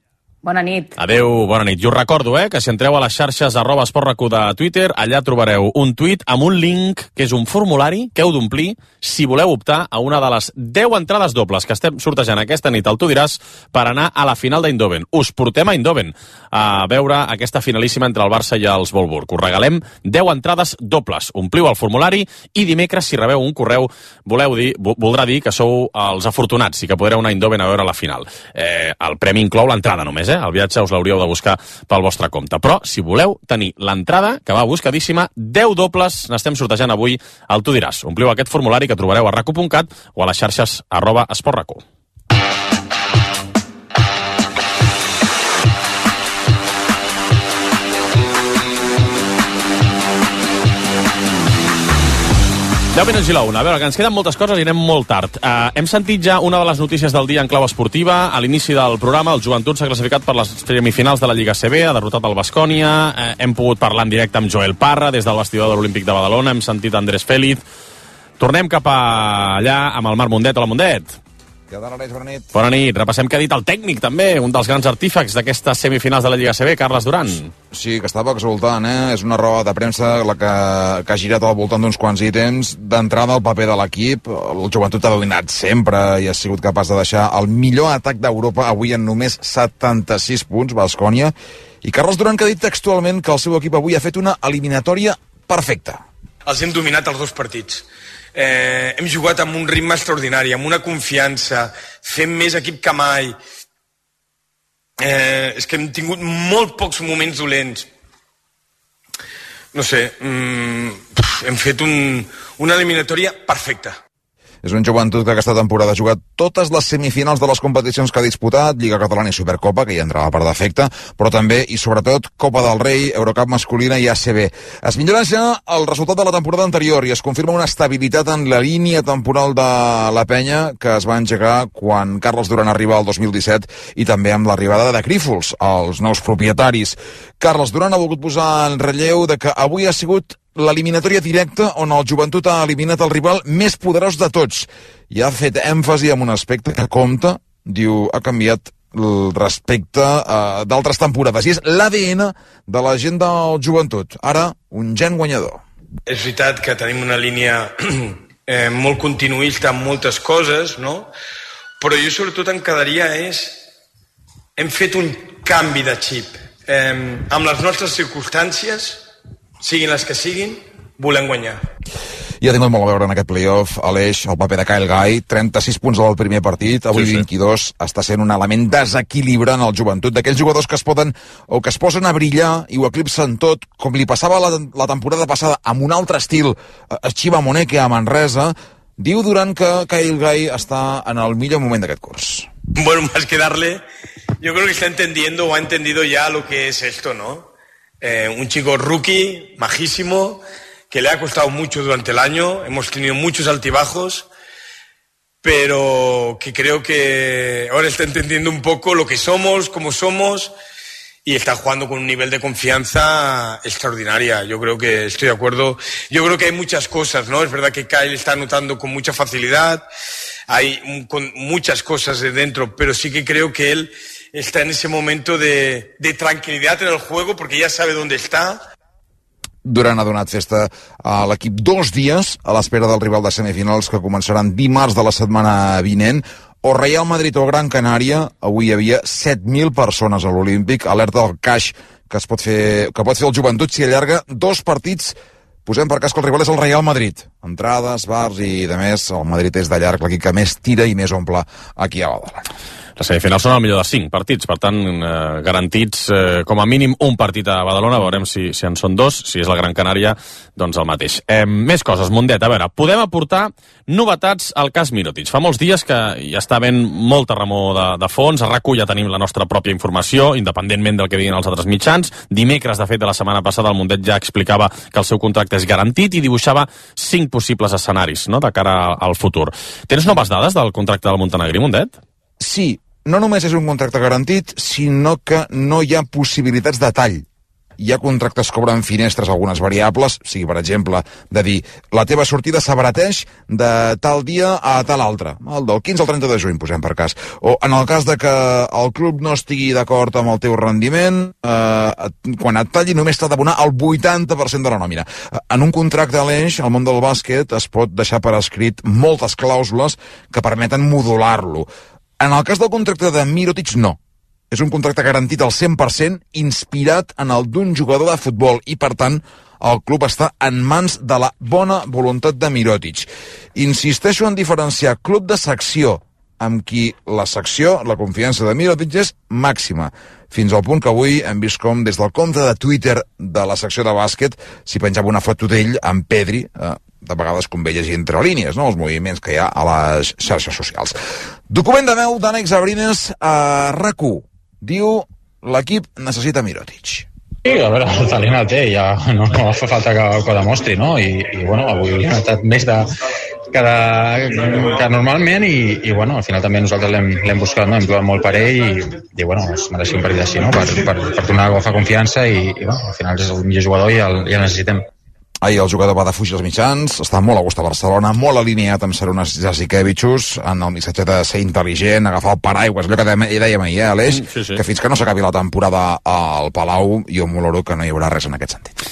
Speaker 17: Bona nit.
Speaker 1: Adeu, bona nit. I us recordo, que si entreu a les xarxes @esportracu de Twitter, allà trobareu un tuit amb un link, que és un formulari que heu d'omplir si voleu optar a una de les 10 entrades dobles que estem sortejant aquesta nit al Tu diràs per anar a la final d'Eindhoven. Us portem a Eindhoven a veure aquesta finalíssima entre el Barça i els Wolfsburg. Us regalem 10 entrades dobles. Ompliu el formulari i dimecres, si rebeu un correu, voldrà dir que sou els afortunats i que podreu anar a Eindhoven a veure la final. El premi inclou l'entrada només, el viatge us l'hauríeu de buscar pel vostre compte. Però, si voleu tenir l'entrada, que va buscadíssima, 10 dobles n'estem sortejant avui al Tu diràs. Ompliu aquest formulari que trobareu a racu.cat o a les xarxes @esportracu. A veure, que ens queden moltes coses i anem molt tard. Hem sentit ja una de les notícies del dia en clau esportiva. A l'inici del programa, el Joventut s'ha classificat per les semifinals de la Lliga CB, ha derrotat el Baskonia, hem pogut parlar en directe amb Joel Parra des del vestidor de l'Olímpic de Badalona, hem sentit Andrés Félix. Tornem cap allà amb el Marc Mundet. Hola, Mundet.
Speaker 3: Bona nit.
Speaker 1: Bona nit. Repassem què ha dit el tècnic, també, un dels grans artífecs d'aquestes semifinals de la Lliga CB, Carles Duran.
Speaker 3: Sí, que estava exultant, És una roda de premsa la que ha girat al voltant d'uns quants ítems. D'entrada, el paper de l'equip. El Joventut ha dominat sempre i ha sigut capaç de deixar el millor atac d'Europa avui en només 76 punts, Baskonia. I Carles Duran, que ha dit textualment que el seu equip avui ha fet una eliminatòria perfecta.
Speaker 6: Els hem dominat els dos partits. Hem jugat amb un ritme extraordinari, amb una confiança, fent més equip que mai. És que hem tingut molt pocs moments dolents. No sé, hem fet una eliminatòria perfecta.
Speaker 3: És un Joventut que aquesta temporada ha jugat totes les semifinals de les competicions que ha disputat, Lliga Catalana i Supercopa, que hi entrava per defecte, però també i sobretot Copa del Rei, Eurocup masculina i ACB. Es millora ja el resultat de la temporada anterior i es confirma una estabilitat en la línia temporal de la penya que es va engegar quan Carles Duran arriba al 2017 i també amb l'arribada de Grífols, els nous propietaris. Carles Duran ha volgut posar en relleu de que avui ha sigut l'eliminatòria directa on el Joventut ha eliminat el rival més poderós de tots i ha fet èmfasi en un aspecte que compta, diu, ha canviat respecte a d'altres temporades i és l'ADN de la gent del Joventut. Ara, un gen guanyador.
Speaker 6: És veritat que tenim una línia molt continuista en moltes coses, no? Però jo sobretot em quedaria hem fet un canvi de xip. Amb les nostres circumstàncies, siguin les que siguin, volem guanyar.
Speaker 3: I ha tingut molt a veure en aquest playoff, Aleix, el paper de Kyle Guy, 36 punts del primer partit, avui 22, està sent un element desequilibrant al Joventut, d'aquells jugadors que es poden o que es posen a brillar i ho eclipsen tot, com li passava la temporada passada amb un altre estil a Chiva Moneke a Manresa. Diu Duran que Kyle Guy està en el millor moment d'aquest curs.
Speaker 6: Bueno, más que darle, yo creo que está entendiendo o ha entendido ya lo que es esto, ¿no? Un chico rookie, majísimo, que le ha costado mucho durante el año, hemos tenido muchos altibajos, pero que creo que ahora está entendiendo un poco lo que somos, cómo somos, y está jugando con un nivel de confianza extraordinaria. Yo creo que estoy de acuerdo. Yo creo que hay muchas cosas, ¿no? Es verdad que Kyle está anotando con mucha facilidad, hay con muchas cosas de dentro, pero sí que creo que él está en ese momento de tranquilidad en el juego porque ya sabe dónde está.
Speaker 3: Durant ha donat festa a l'equip 2 dies a l'espera del rival de semifinals que començaran dimarts de la setmana vinent. O Real Madrid o Gran Canària, avui hi havia 7.000 persones a l'Olímpic, alerta del caix que pot fer el Joventut si allarga 2 partits. Posem per cas que el rival és el Real Madrid. Entrades, bars i de més, el Madrid és de llarg l'equip que més tira i més omple aquí a Badalona.
Speaker 1: Les semifinals són el millor de 5 partits, per tant, garantits com a mínim un partit a Badalona, veurem si en són 2, si és la Gran Canària, doncs el mateix. Més coses, Mundet, a veure, podem aportar novetats al cas Mirotic. Fa molts dies que hi està havent molta remor de fons, a RAC1 ja tenim la nostra pròpia informació, independentment del que diguin els altres mitjans. Dimecres, de fet, de la setmana passada, el Mundet ja explicava que el seu contracte és garantit i dibuixava 5 possibles escenaris, no?, de cara al futur. Tens noves dades del contracte del Montenegrí, Mundet?
Speaker 3: Sí. No només és un contracte garantit, sinó que no hi ha possibilitats de tall. Hi ha contractes que obren finestres algunes variables, sigui, per exemple, de dir la teva sortida s'abarateix de tal dia a tal altre, el del 15 al 30 de juny, posem per cas. O en el cas de que el club no estigui d'acord amb el teu rendiment, quan et talli només t'ha d'abonar el 80% de la nòmina. En un contracte a l'eix, al món del bàsquet, es pot deixar per escrit moltes clàusules que permeten modular-lo. En el cas del contracte de Mirotic, no. És un contracte garantit al 100%, inspirat en el d'un jugador de futbol, i, per tant, el club està en mans de la bona voluntat de Mirotic. Insisteixo en diferenciar club de secció, amb qui la secció, la confiança de Mirotic és màxima, fins al punt que avui hem vist com des del compte de Twitter de la secció de bàsquet s'hi penjava una foto d'ell amb Pedri, de vegades convé llegir entre línies, no?, els moviments que hi ha a les xarxes socials. Document de veu d'Ànex Abrines a RAC1. Diu, l'equip necessita Mirotic.
Speaker 7: Sí, a veure, el talent el té, ja no fa falta que ho demostri, no? I bueno, avui ha estat més que normalment i bueno, al final també nosaltres l'hem buscat, no? Hem trobat molt per ell i bueno, es mereixia un partit així, no? Per tornar a agafar confiança i bueno, al final és el millor jugador i el necessitem.
Speaker 3: Ahir el jugador va defugir els mitjans, està molt a gust a Barcelona, molt alineat amb Sarunas Jasikevičius, en el missatge de ser intel·ligent, agafar el paraigües, allò que dèiem ahir, Aleix, sí. Que fins que no s'acabi la temporada al Palau, jo m'oloro que no hi haurà res en aquest sentit.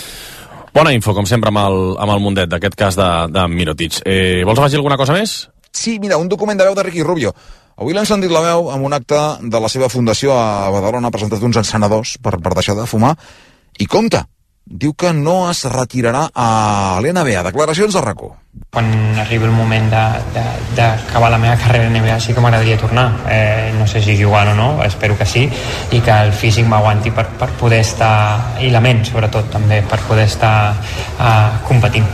Speaker 1: Bona info, com sempre, amb el Mundet, d'aquest cas de Mirotic. Vols afegir alguna cosa més?
Speaker 3: Sí, mira, un document de veu de Ricky Rubio. Avui l'hem sentit la veu amb un acte de la seva fundació a Badalona, ha presentat uns encenedors per deixar de fumar, i compte, diu que no es retirarà a l'NBA. Declaracions de RAC1.
Speaker 8: Quan arribi el moment d'acabar la meva carrera a NBA sí que m'agradaria tornar. No sé si jugant o no, espero que sí, i que el físic m'aguanti per poder estar, i la ment sobretot també, per poder estar competint.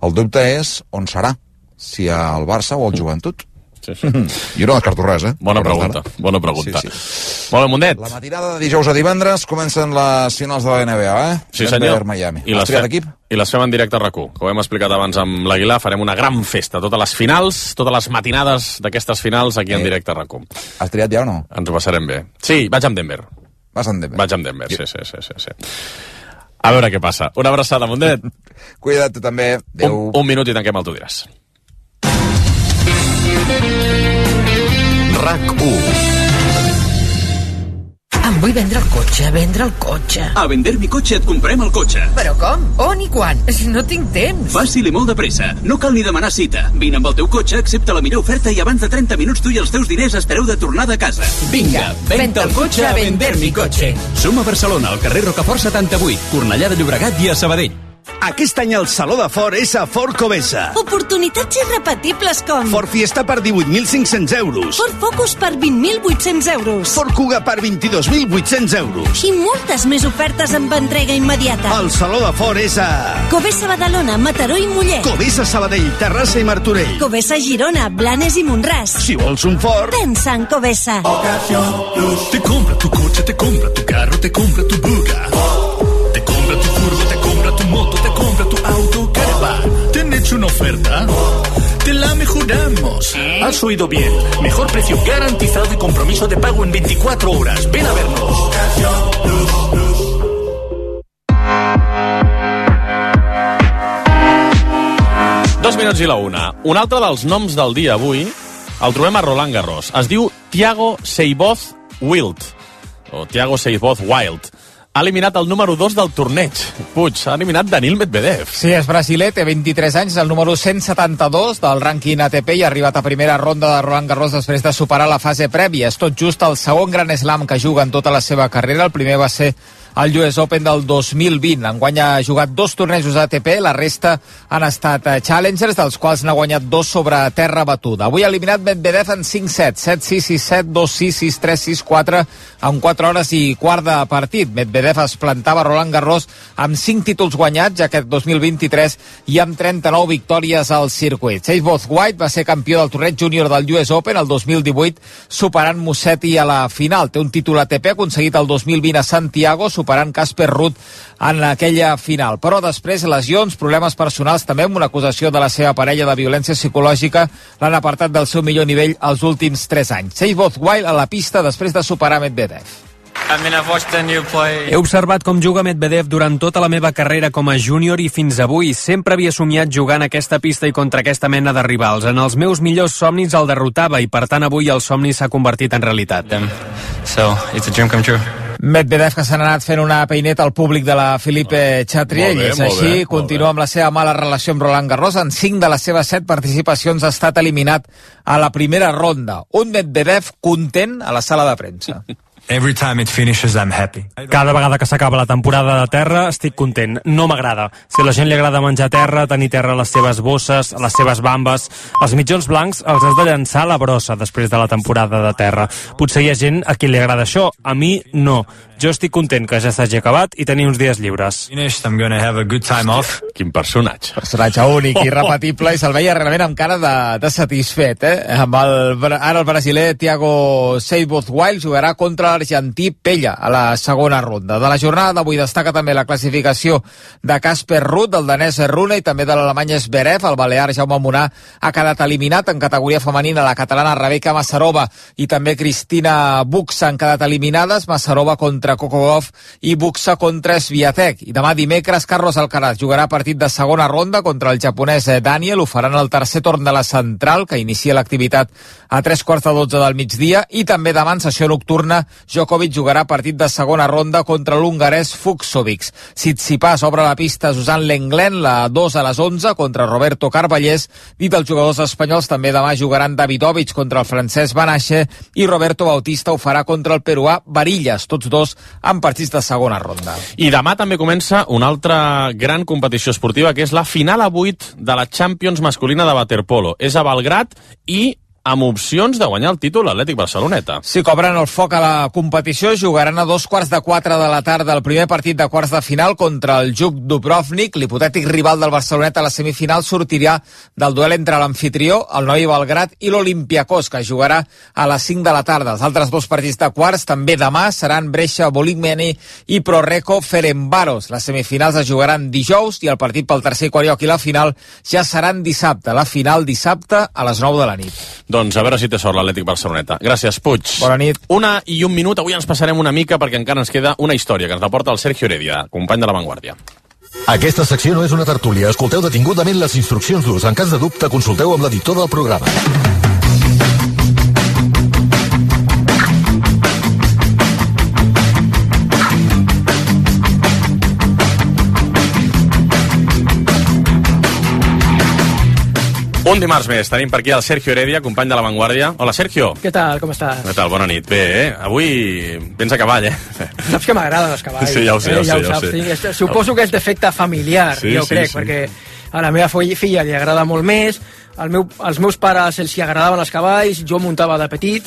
Speaker 3: El dubte és on serà, si al Barça o al Joventut.
Speaker 1: Sí.
Speaker 3: Jo no descarto res,
Speaker 1: Bona pregunta. Sí. Molt bé, Mundet.
Speaker 3: La matinada de dijous a divendres comencen les finals de la NBA,
Speaker 1: Sí, senyor.
Speaker 3: Miami.
Speaker 1: I les fem en directe a RAC1. Com hem explicat abans amb l'Aguilar, farem una gran festa. Totes les finals, totes les matinades d'aquestes finals aquí en directe a RAC1.
Speaker 3: Has triat ja o no?
Speaker 1: Ens ho passarem bé. Sí, vaig amb Denver.
Speaker 3: Vas amb Denver?
Speaker 1: Vaig amb Denver, sí. A veure què passa. Una abraçada, Mundet.
Speaker 3: Cuida't, tu també. Adéu.
Speaker 1: Un minut i tanquem el Tu diràs.
Speaker 11: RAC1.
Speaker 23: Em vull vendre el cotxe.
Speaker 24: A Vender mi cotxe et comprem el cotxe.
Speaker 23: Però com? On i quan? Si no tinc temps.
Speaker 24: Fàcil i molt de pressa. No cal ni demanar cita. Vine amb el teu cotxe, accepta la millor oferta i abans de 30 minuts tu i els teus diners estareu de tornada a casa.
Speaker 23: Vinga, venta el cotxe a Vender mi cotxe.
Speaker 24: Som a Barcelona, al carrer Rocafort 78, Cornellà de Llobregat i a Sabadell.
Speaker 25: Aquest any el Saló de Ford és a Ford Covesa.
Speaker 26: Oportunitats irrepetibles com
Speaker 25: Ford Fiesta per 18.500 euros.
Speaker 26: Ford Focus per 20.800 euros.
Speaker 25: Ford Kuga per 22.800 euros.
Speaker 26: I moltes més ofertes amb entrega immediata.
Speaker 25: El Saló de Ford és a
Speaker 26: Covesa Badalona, Mataró i Mollet.
Speaker 25: Covesa Sabadell, Terrassa i Martorell.
Speaker 26: Covesa Girona, Blanes i Montràs.
Speaker 25: Si vols un Ford,
Speaker 26: pensa en Covesa.
Speaker 27: Te compra tu coche, te compra tu carro, te compra tu buga. Te compra tu furgo, te compra tu moto, te compra tu auto, caravan. ¿Te han hecho una oferta? Te la mejoramos. Has oído bien. Mejor precio garantizado y compromiso de pago en 24 horas. Ven a vernos.
Speaker 1: 2 minuts i la 1. Un altre dels noms del dia avui el trobem a Roland Garros. Es diu Thiago Seyboth Wild. O Thiago Seyboth Wild. ha eliminat el número 2 del torneig. Puig, ha eliminat Daniil Medvedev.
Speaker 2: Sí, és brasiler, té 23 anys, el número 172 del rànquing ATP i ha arribat a primera ronda de Roland Garros després de superar la fase prèvia. És tot just el segon Grand Slam que juga en tota la seva carrera. El primer va ser el US Open del 2020. Enguany ha jugat 2 tornejos ATP, la resta han estat Challengers, dels quals n'ha guanyat 2 sobre terra batuda. Avui ha eliminat Medvedev en 5 sets, 7-6, 6-7, 2-6, 6-3, 6-4, en 4 hores i quart de partit. Medvedev es plantava a Roland Garros amb 5 títols guanyats aquest 2023 i amb 39 victòries al circuit. Chase Bothwhite va ser campió del torneig júnior del US Open el 2018, superant Musetti a la final. Té un títol ATP aconseguit el 2020 a Santiago, superant Casper Ruud en aquella final. Però després, lesions, problemes personals, també amb una acusació de la seva parella de violència psicològica, l'han apartat del seu millor nivell els últims 3 anys. Chase Bothwhite a la pista després de superar Medvedev.
Speaker 4: He observat com juga Medvedev durant tota la meva carrera com a júnior i fins avui. Sempre havia somiat jugar en aquesta pista i contra aquesta mena de rivals. En els meus millors somnis el derrotava i, per tant, avui el somni s'ha convertit en realitat.
Speaker 2: Medvedev, que s'ha anat fent una peineta al públic de la Philippe Chatrier, i és així, continua amb la seva mala relació amb Roland Garros. En 5 de les seves 7 participacions ha estat eliminat a la primera ronda. Un Medvedev content a la sala de premsa.
Speaker 4: Every time it finishes, I'm happy. Cada vegada que s'acaba la temporada de terra estic content. No m'agrada. Si a la gent li agrada menjar terra, tenir terra a les seves bosses, a les seves bambes, els mitjons blancs els has de llançar a la brossa després de la temporada de terra. Potser hi ha gent a qui li agrada això, a mi no. Jo estic content que ja s'hagi acabat i tenir uns dies lliures.
Speaker 1: I'm gonna have a good time off. Quin personatge.
Speaker 2: Personatge únic i irrepetible, i se'l veia realment amb cara de satisfet, Ara el brasiler Thiago Seybothwhite jugarà contra l'argentí Pella a la segona ronda. De la jornada d'avui destaca també la classificació de Casper Ruud, del danès Rune, i també de l'alemany Zverev. El balear Jaume Munà ha quedat eliminat. En categoria femenina, la catalana Rebeka Masarova i també Cristina Buxa han quedat eliminades. Masarova contra Coco Gauff i Buxa contra Swiatek. I demà dimecres Carlos Alcaraz jugarà partit de segona ronda contra el japonès Daniel. Ho faran el tercer torn de la central, que inicia l'activitat a 3:45 del migdia, i també demà en sessió nocturna Djokovic jugarà partit de segona ronda contra l'hongarès Fucsovic. Tsitsipas obre la pista Suzanne Lenglen, la 2 a les 11 contra Roberto Carballés. I dels jugadors espanyols també demà jugaran Davidovich contra el francès Banache i Roberto Bautista ho farà contra el peruà Varillas, tots dos en partits de segona ronda.
Speaker 1: I demà també comença una altra gran competició esportiva, que és la final a 8 de la Champions masculina de waterpolo. És a Belgrad i amb opcions de guanyar el títol l'Atlètic Barceloneta.
Speaker 2: Sí, cobren el foc a la competició, jugaran a 3:45 de la tarda el primer partit de quarts de final contra el Juk Dubrovnik. L'hipotètic rival del Barceloneta a la semifinal sortirà del duel entre l'anfitrió, el Novi Belgrad, i l'Olympiakos, que jugarà a les 5 de la tarda. Els altres 2 partits de quarts també demà seran Brescia Volikmeni i Proreco Ferencváros. Les semifinals es jugaran dijous i el partit pel tercer i quart lloc i la final ja seran dissabte. La final dissabte a les 9 de la nit.
Speaker 1: Doncs a veure si té sort l'Atlètic Barceloneta. Gràcies, Puig.
Speaker 2: Bona nit.
Speaker 1: 1:01. Avui ens passarem una mica perquè encara ens queda una història que ens la porta el Sergio Heredia, company de La Vanguardia.
Speaker 11: Aquesta secció no és una tertúlia. Escolteu detingudament les instruccions d'ús. En cas de dubte, consulteu amb l'editor del programa.
Speaker 1: Un dimarts més, tenim per aquí el Sergio Heredia, company de La Vanguardia. Hola, Sergio.
Speaker 5: Què tal, com estàs?
Speaker 1: Què tal, bona nit. Bé, Avui vens a cavall,
Speaker 5: Saps que m'agraden els cavalls.
Speaker 1: Sí, ja ho sé.
Speaker 5: Sí. Suposo que és d'efecte familiar,
Speaker 1: sí,
Speaker 5: crec, perquè a la meva filla li agrada molt més, als meus pares els hi agradaven els cavalls, jo muntava de petit,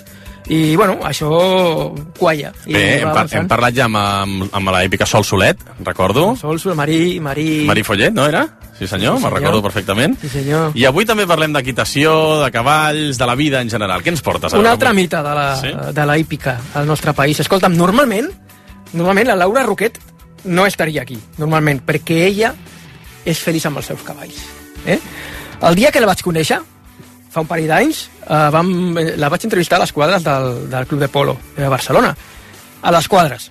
Speaker 5: i, això qualla.
Speaker 1: Bé, hem parlat ja amb l'èpica Sol Solet, recordo.
Speaker 5: Sol Solet, Marí
Speaker 1: Follet, no era? Sí senyor, me'n recordo perfectament.
Speaker 5: Sí senyor.
Speaker 1: I avui també parlem d'equitació, de cavalls, de la vida en general. Què ens portes?
Speaker 5: Un altre mite de la hípica al nostre país. Escolta'm, normalment la Laura Roquet no estaria aquí, normalment, perquè ella és feliç amb els seus cavalls. El dia que la vaig conèixer, fa un parell d'anys, la vaig entrevistar a les quadres del Club de Polo de Barcelona. A les quadres.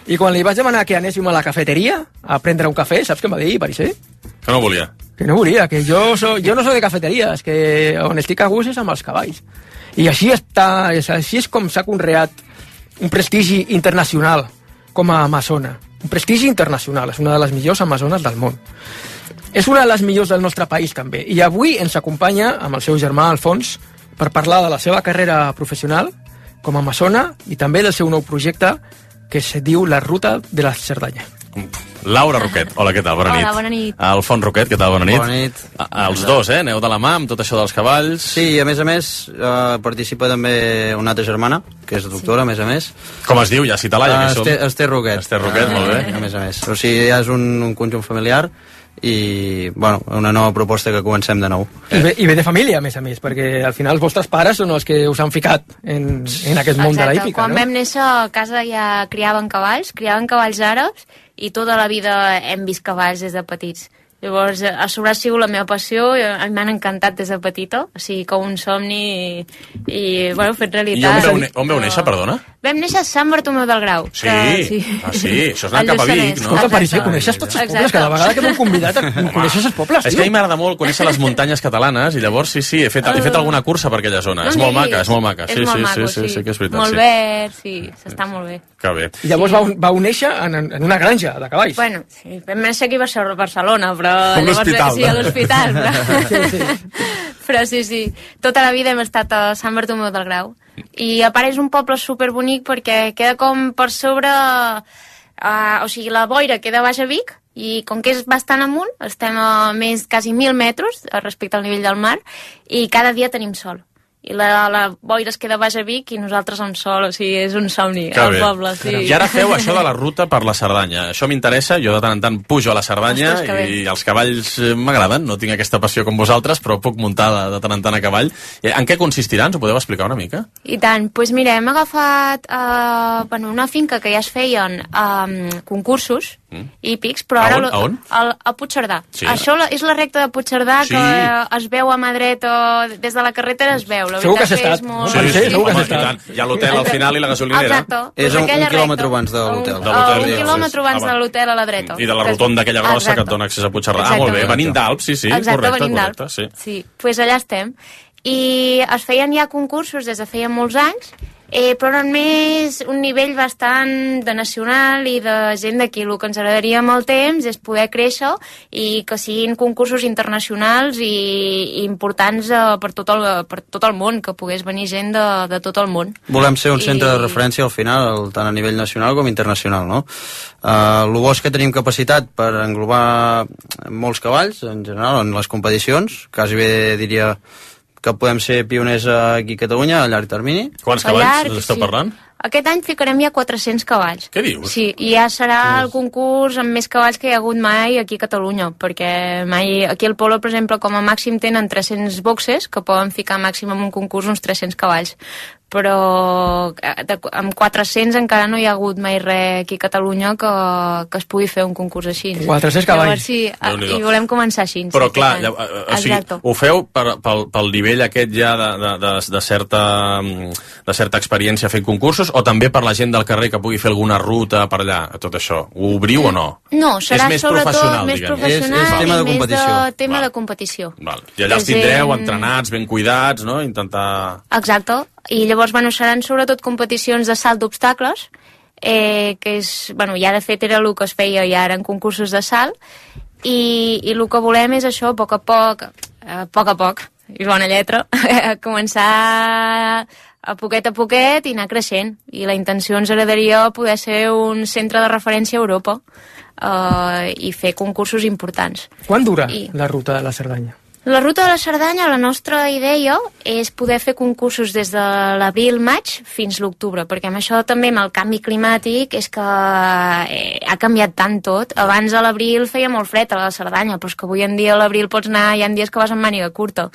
Speaker 5: I quan li vaig demanar que anéssim a la cafeteria a prendre un cafè, saps què em va dir, Parisé?
Speaker 1: Que no volia.
Speaker 5: Que no volia, que jo no soc de cafeteries, que on estic a gust és amb els cavalls. I així és com s'ha conreat un prestigi internacional com a amazona. un prestigi internacional, és una de les millors amazones del món. És una de les millors del nostre país, també. I avui ens acompanya amb el seu germà, Alfons, per parlar de la seva carrera professional com a amazona i també del seu nou projecte que es diu La Ruta de la Cerdanya.
Speaker 1: Laura Roquet, hola, què tal? Bona nit.
Speaker 9: Hola, bona nit.
Speaker 1: Alfons Roquet, què tal? Bona nit.
Speaker 9: Bona nit.
Speaker 1: Els dos, aneu de la mà amb tot això dels cavalls.
Speaker 9: Sí, i a més, participa també una altra germana, que és doctora, a més.
Speaker 1: Com es diu? Ja cita-la, ja que som.
Speaker 9: Esther Roquet.
Speaker 1: Esther Roquet, molt bé.
Speaker 9: A més. O sigui, ja és un conjunt familiar i, bueno, una nova proposta que comencem de nou.
Speaker 5: I ve de família, a més, perquè al final els vostres pares són els que us han ficat en aquest món de la hípica,
Speaker 10: Quan vam néixer a casa ja criaven cavalls àrabs, i tota la vida hem vist cavalls des de petits. Llavors, a sobre ha sigut la meva passió, m'han encantat des de petita, o sigui, com un somni i bueno, fet realitat.
Speaker 1: I on veu néixer, perdona?
Speaker 10: Vam néixer a Sant Bartomeu del Grau.
Speaker 1: Sí, això és anar cap a Vic, no?
Speaker 5: Escolta, Parisser, coneixes tots els pobles? Cada vegada que m'han convidat coneixes els pobles,
Speaker 1: És que a mi m'agrada molt conèixer les muntanyes catalanes i llavors, sí, he fet alguna cursa per aquella zona. És molt maca.
Speaker 10: És molt maco,
Speaker 1: Sí, que és veritat.
Speaker 10: Molt verd, sí, s'està molt bé.
Speaker 1: Que bé.
Speaker 5: I llavors vau néixer en una granja de cavalls.
Speaker 10: Bueno, sí, vam néixer aquí a Barcelona, però...
Speaker 1: Com l'hospital,
Speaker 10: sí, a l'hospital. Però sí, tota la vida hem estat a Sant Bartomeu del Grau. I a part és un poble superbonic perquè queda com per sobre... o sigui, la boira queda baix a Vic i com que és bastant amunt, estem a més quasi 1.000 metres respecte al nivell del mar i cada dia tenim sol. I la boira es queda baix a Vic i nosaltres amb sol, o sigui, és un somni al poble, sí.
Speaker 1: I ara feu això de la ruta per la Cerdanya. Això m'interessa, jo de tant en tant pujo a la Cerdanya i els cavalls m'agraden, no tinc aquesta passió com vosaltres, però puc muntar de tant en tant a cavall. En què consistirà? Ens ho podeu explicar una mica?
Speaker 10: I tant, doncs mira, hem agafat una finca que ja es feien concursos hípics, però ara...
Speaker 1: A on?
Speaker 10: A Puigcerdà. Això és la recta de Puigcerdà que es veu a mà dreta, des de la carretera es veu.
Speaker 5: Segur que has estat.
Speaker 10: Segur que has estat.
Speaker 1: Hi ha l'hotel al final i la gasolinera.
Speaker 10: Exacte.
Speaker 9: És un quilòmetre abans de l'hotel.
Speaker 10: Un quilòmetre abans de l'hotel a la dreta.
Speaker 1: I de la rotonda aquella grossa que et dona accés a Puigcerdà. Ah, molt bé, venint d'Alp, sí, correcte.
Speaker 10: Sí, doncs allà estem. I es feien ja concursos des de feia molts anys, però només un nivell bastant de nacional i de gent d'aquí. El que ens agradaria amb el temps és poder créixer i que siguin concursos internacionals i importants per tot el món, que pogués venir gent de tot el món.
Speaker 9: Volem ser un centre de referència al final, tant a nivell nacional com internacional, no? El bo és que tenim capacitat per englobar molts cavalls, en general, en les competicions, quasi bé diria que podem ser pioners aquí a Catalunya a llarg termini.
Speaker 1: Quants cavalls esteu parlant?
Speaker 10: Aquest any ficarem ja 400 cavalls.
Speaker 1: Què dius?
Speaker 10: Sí, i ja serà el concurs amb més cavalls que hi ha hagut mai aquí a Catalunya, perquè mai aquí al Polo, per exemple, com a màxim tenen 300 boxes, que poden ficar màxim en un concurs uns 300 cavalls. Però amb 400 encara no hi ha hagut mai res aquí a Catalunya que es pugui fer un concurs així.
Speaker 5: 400 cavalls.
Speaker 10: Llavors, sí, i volem començar així.
Speaker 1: Però clar, o sigui, ho feu pel nivell aquest ja de certa experiència fent concursos o també per la gent del carrer que pugui fer alguna ruta per allà, tot això? Ho obriu o no?
Speaker 10: No, serà
Speaker 1: més
Speaker 10: sobretot més professional
Speaker 9: és tema de competició.
Speaker 10: Tema de competició.
Speaker 1: I allà els tindreu entrenats, ben cuidats, no? Intentar...
Speaker 10: Exacte. I llavors, seran sobretot competicions de salt d'obstacles, que és, ja de fet era el que es feia ja eren concursos de salt, i el que volem és això, a poc a poc, i bona lletra, començar a poquet i anar creixent. I la intenció ens agradaria poder ser un centre de referència a Europa i fer concursos importants.
Speaker 5: Quan dura la ruta de la Cerdanya?
Speaker 10: La ruta de la Cerdanya, la nostra idea és poder fer concursos des de l'abril-maig fins l'octubre, perquè amb això també, amb el canvi climàtic, és que ha canviat tant tot. Abans a l'abril feia molt fred a la Cerdanya, però és que avui en dia a l'abril pots anar, hi ha dies que vas amb màniga curta.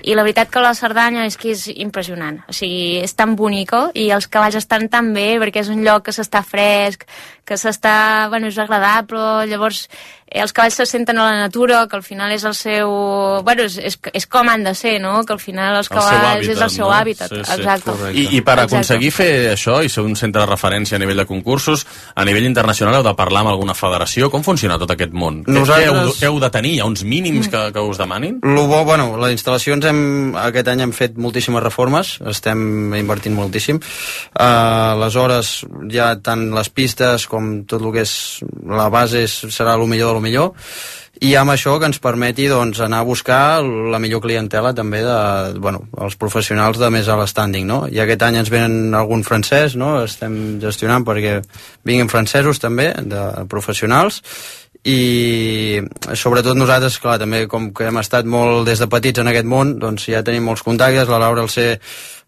Speaker 10: I la veritat que la Cerdanya és que és impressionant. O sigui, és tan bonica i els cavalls estan tan bé perquè és un lloc que s'està fresc, que s'està... és agradable, llavors els cavalls se senten a la natura, que al final és el seu... Bueno, és com han de ser, no? Que al final els cavalls és el seu hàbitat. Exacte.
Speaker 1: I per aconseguir fer això i ser un centre de referència a nivell de concursos, a nivell internacional heu de parlar amb alguna federació? Com funciona tot aquest món? Què heu de tenir? Hi ha uns mínims que us demanin?
Speaker 9: Les instal·lacions aquest any hem fet moltíssimes reformes, estem invertint moltíssim. Aleshores, ja tant les pistes com tot el que és la base serà el millor de lo millor, i amb això que ens permeti anar a buscar la millor clientela també els professionals de més alt standing, no? I aquest any ens venen algun francès, no? Estem gestionant perquè vinguin francesos també, de professionals, i sobretot nosaltres, clar, també com que hem estat molt des de petits en aquest món, doncs ja tenim molts contactes. La Laura, al ser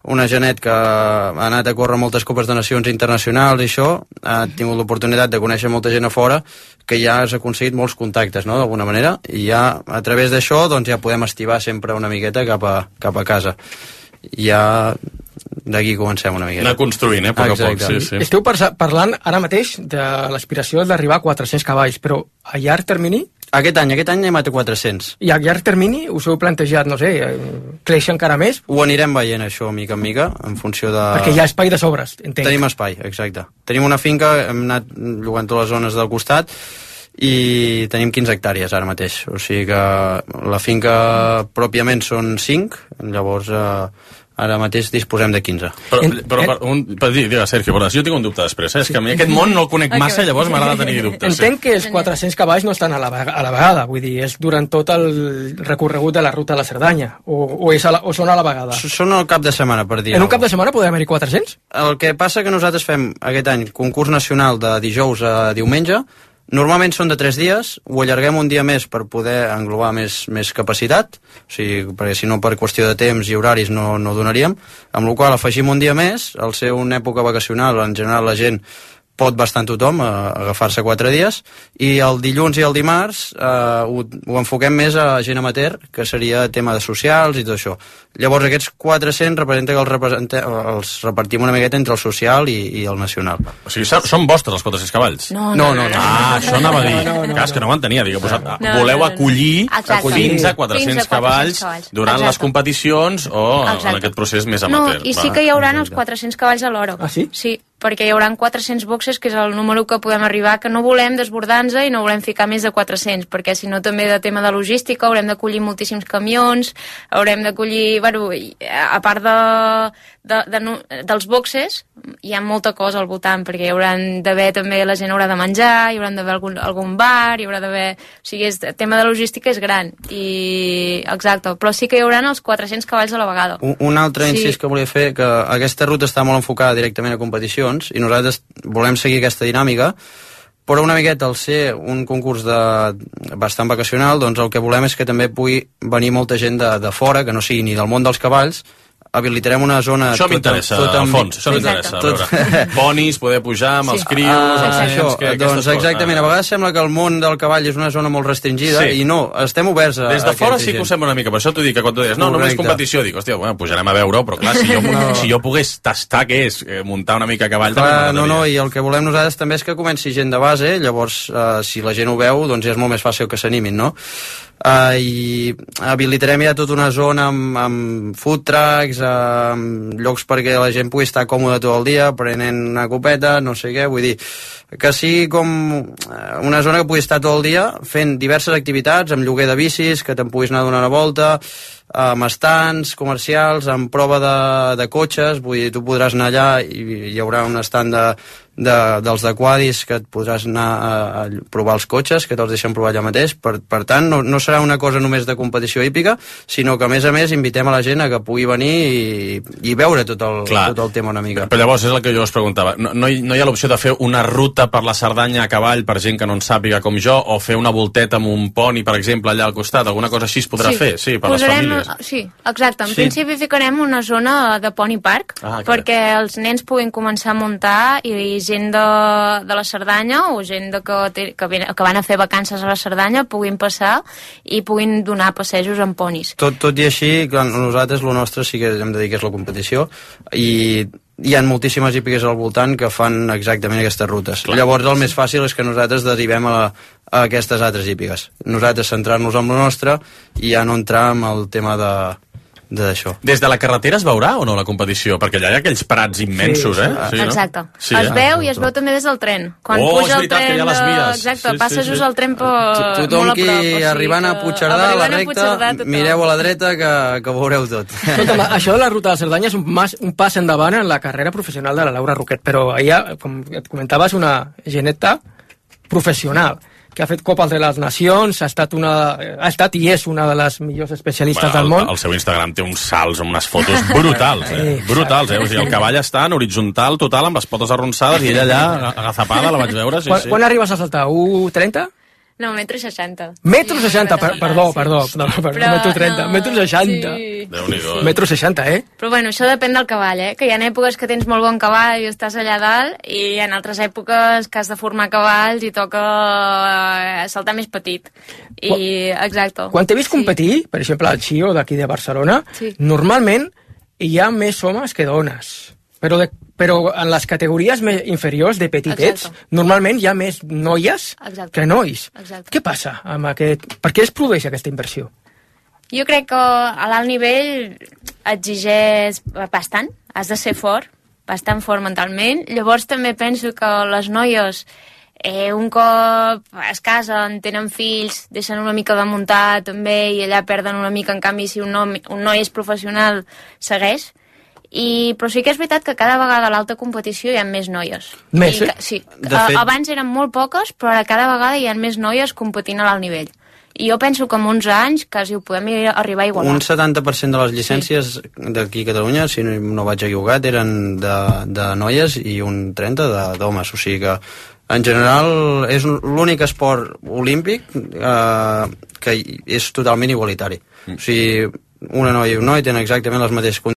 Speaker 9: una genet que ha anat a córrer moltes copes de nacions internacionals i això, ha tingut l'oportunitat de conèixer molta gent a fora, que ja has aconseguit molts contactes, no?, d'alguna manera, i ja a través d'això doncs ja podem estivar sempre una miqueta cap a casa. Ja d'aquí comencem una miqueta.
Speaker 1: Anar construint, a poc a poc. Sí.
Speaker 5: Esteu parlant ara mateix de l'aspiració d'arribar a 400 cavalls, però a llarg termini?
Speaker 9: Aquest any anem a 400.
Speaker 5: I a llarg termini us heu plantejat, no sé, créixer encara més?
Speaker 9: Ho anirem veient, això, mica en mica, en funció de...
Speaker 5: Perquè hi ha espai de sobres, entenc.
Speaker 9: Tenim espai, exacte. Tenim una finca, hem anat llogant totes les zones del costat, i tenim 15 hectàrees ara mateix. O sigui que la finca pròpiament són 5, llavors... ara mateix disposem de 15.
Speaker 1: Digues, Sergio, jo tinc un dubte després, és que a mi aquest món no el conec massa, llavors m'agrada tenir dubtes.
Speaker 5: Entenc que els 400 cavalls no estan a la vegada, vull dir, és durant tot el recorregut de la ruta de la Cerdanya, o són a la vegada?
Speaker 9: Són al cap de setmana, per dir.
Speaker 5: En un cap de setmana podem haver-hi 400?
Speaker 9: El que passa que nosaltres fem aquest any concurs nacional de dijous a diumenge. Normalment són de 3 dies, ho allarguem un dia més per poder englobar més capacitat, o sigui, perquè si no per qüestió de temps i horaris no donaríem, amb la qual cosa afegim un dia més, al ser una època vacacional, en general la gent pot bastant tothom agafar-se 4 dies, i el dilluns i el dimarts ho enfoquem més a gent amateur, que seria tema de socials i tot això. Llavors aquests 400 representa que els repartim una miqueta entre el social i el nacional.
Speaker 1: O sigui, són vostres els 400 cavalls?
Speaker 9: No.
Speaker 1: Això anava a dir. És que no ho entenia. Voleu acollir fins a 400 cavalls durant les competicions o en aquest procés més amateur.
Speaker 10: No, i sí que hi haurà els 400 cavalls a l'hora.
Speaker 5: Ah, sí?
Speaker 10: Sí, perquè hi haurà 400 boxes, que és el número que podem arribar, que no volem desbordar-nos i no volem ficar més de 400, perquè si no també de tema de logística haurem d'acollir moltíssims camions, haurem d'acollir, a part dels boxes, hi ha molta cosa al voltant, perquè hi haurà d'haver també, la gent haurà de menjar, hi haurà d'haver algun bar, hi haurà d'haver... O sigui, el tema de logística és gran, exacte, però sí que hi haurà els 400 cavalls a la vegada.
Speaker 9: Un altre incís que volia fer, que aquesta ruta està molt enfocada directament a competicions, i nosaltres volem seguir aquesta dinàmica, però una miqueta al ser un concurs bastant vacacional, doncs el que volem és que també pugui venir molta gent de fora, que no sigui ni del món dels cavalls. Habilitarem una zona...
Speaker 1: Això m'interessa, Alfons, això m'interessa. Ponis, poder pujar amb els crios, els nens...
Speaker 9: Doncs exactament, a vegades sembla que el món del cavall és una zona molt restringida, i no, estem oberts a...
Speaker 1: Des de fora sí que ho sembla una mica, per això t'ho dic, que quan tu deies, no, només competició, dic, hòstia, pujarem a veure-ho, però clar, si jo pogués tastar què és muntar una mica a cavall...
Speaker 9: No, i el que volem nosaltres també és que comenci gent de base, llavors, si la gent ho veu, doncs ja és molt més fàcil que s'animin, no? I habilitarem ja tota una zona amb food trucks, llocs perquè la gent pugui estar còmode tot el dia prenent una copeta, no sé què, vull dir que sigui com una zona que pugui estar tot el dia fent diverses activitats, amb lloguer de bicis, que te'n puguis anar a donar una volta, amb estants comercials, amb prova de cotxes, vull dir, tu podràs anar allà i hi haurà un estand dels de quadis que et podràs anar a provar els cotxes, que te'ls deixen provar allà mateix. Per tant, no serà una cosa només de competició hípica, sinó que a més invitem a la gent a que pugui venir i veure tot el tema una mica.
Speaker 1: Però llavors és el que jo us preguntava, no hi ha l'opció de fer una ruta per la Cerdanya a cavall per gent que no en sàpiga com jo, o fer una volteta amb un poni, per exemple, allà al costat, alguna cosa així es podrà fer? Sí, per les famílies.
Speaker 10: Sí, exacte. En principi ficarem una zona de pony park, perquè els nens puguin començar a muntar i gent de la Cerdanya o gent que van a fer vacances a la Cerdanya puguin passar i puguin donar passejos amb ponis.
Speaker 9: Tot i així, nosaltres el nostre sí que hem de dir que és la competició, i hi ha moltíssimes hípiques al voltant que fan exactament aquestes rutes. Llavors el més fàcil és que nosaltres derivem a a aquestes altres hípiques. Nosaltres centrar-nos en lo nostre i ja no entrar en el tema d'això.
Speaker 1: Des de la carretera es veurà o no la competició? Perquè allà hi ha aquells prats immensos,
Speaker 10: sí.
Speaker 1: Sí, no?
Speaker 10: Exacte.
Speaker 1: Sí,
Speaker 10: es veu i es veu també des del tren. Quan puja el tren... Exacte, passa just el tren
Speaker 9: Tothom qui arribant a Puigcerdà, a la recta, mireu a la dreta que veureu tot.
Speaker 5: Escolta'm, això de la ruta de Cerdanya és un pas endavant en la carrera professional de la Laura Roquet, però ella, com et comentaves, una geneta professional que ha fet Copa de les Nacions, ha estat i és una de les millors especialistes del món.
Speaker 1: El seu Instagram té uns salts amb unes fotos brutals, brutals, O sigui, el cavall està en horitzontal total, amb les potes arronsades, i ella allà, agazapada, la vaig veure, sí.
Speaker 5: Quan arribes a saltar? 1,30?
Speaker 10: No, 1,60 m.
Speaker 5: 1,60 m, perdó, no, 1,30 m, 1,60 m.
Speaker 1: Déu-n'hi-do.
Speaker 5: 1,60 m,
Speaker 10: Però bueno, això depèn del cavall, que hi ha èpoques que tens molt bon cavall i estàs allà dalt, i en altres èpoques que has de formar cavalls i toca saltar més petit. Exacte.
Speaker 5: Quan t'he vist competir, per exemple, al Xio d'aquí de Barcelona, normalment hi ha més homes que dones. Però en les categories més inferiors de petitets, normalment hi ha més noies que nois. Què passa amb aquest... Per què es produeix aquesta inversió?
Speaker 10: Jo crec que a l'alt nivell exigeix bastant, has de ser fort, bastant fort mentalment. Llavors també penso que les noies, un cop es casen, tenen fills, deixen una mica de muntar també, i allà perden una mica. En canvi, si un noi és professional, segueix. Però sí que és veritat que cada vegada a l'alta competició hi ha més noies.
Speaker 5: Més,
Speaker 10: sí. Abans eren molt poques, però ara cada vegada hi ha més noies competint a l'alt nivell. I jo penso que en uns anys quasi ho podem arribar a igualar.
Speaker 9: Un 70% de les llicències d'aquí a Catalunya, si no vaig equivocat, eren de noies i un 30% d'homes. O sigui que, en general, és l'únic esport olímpic que és totalment igualitari. O sigui, una noia i un noi tenen exactament les mateixes condicions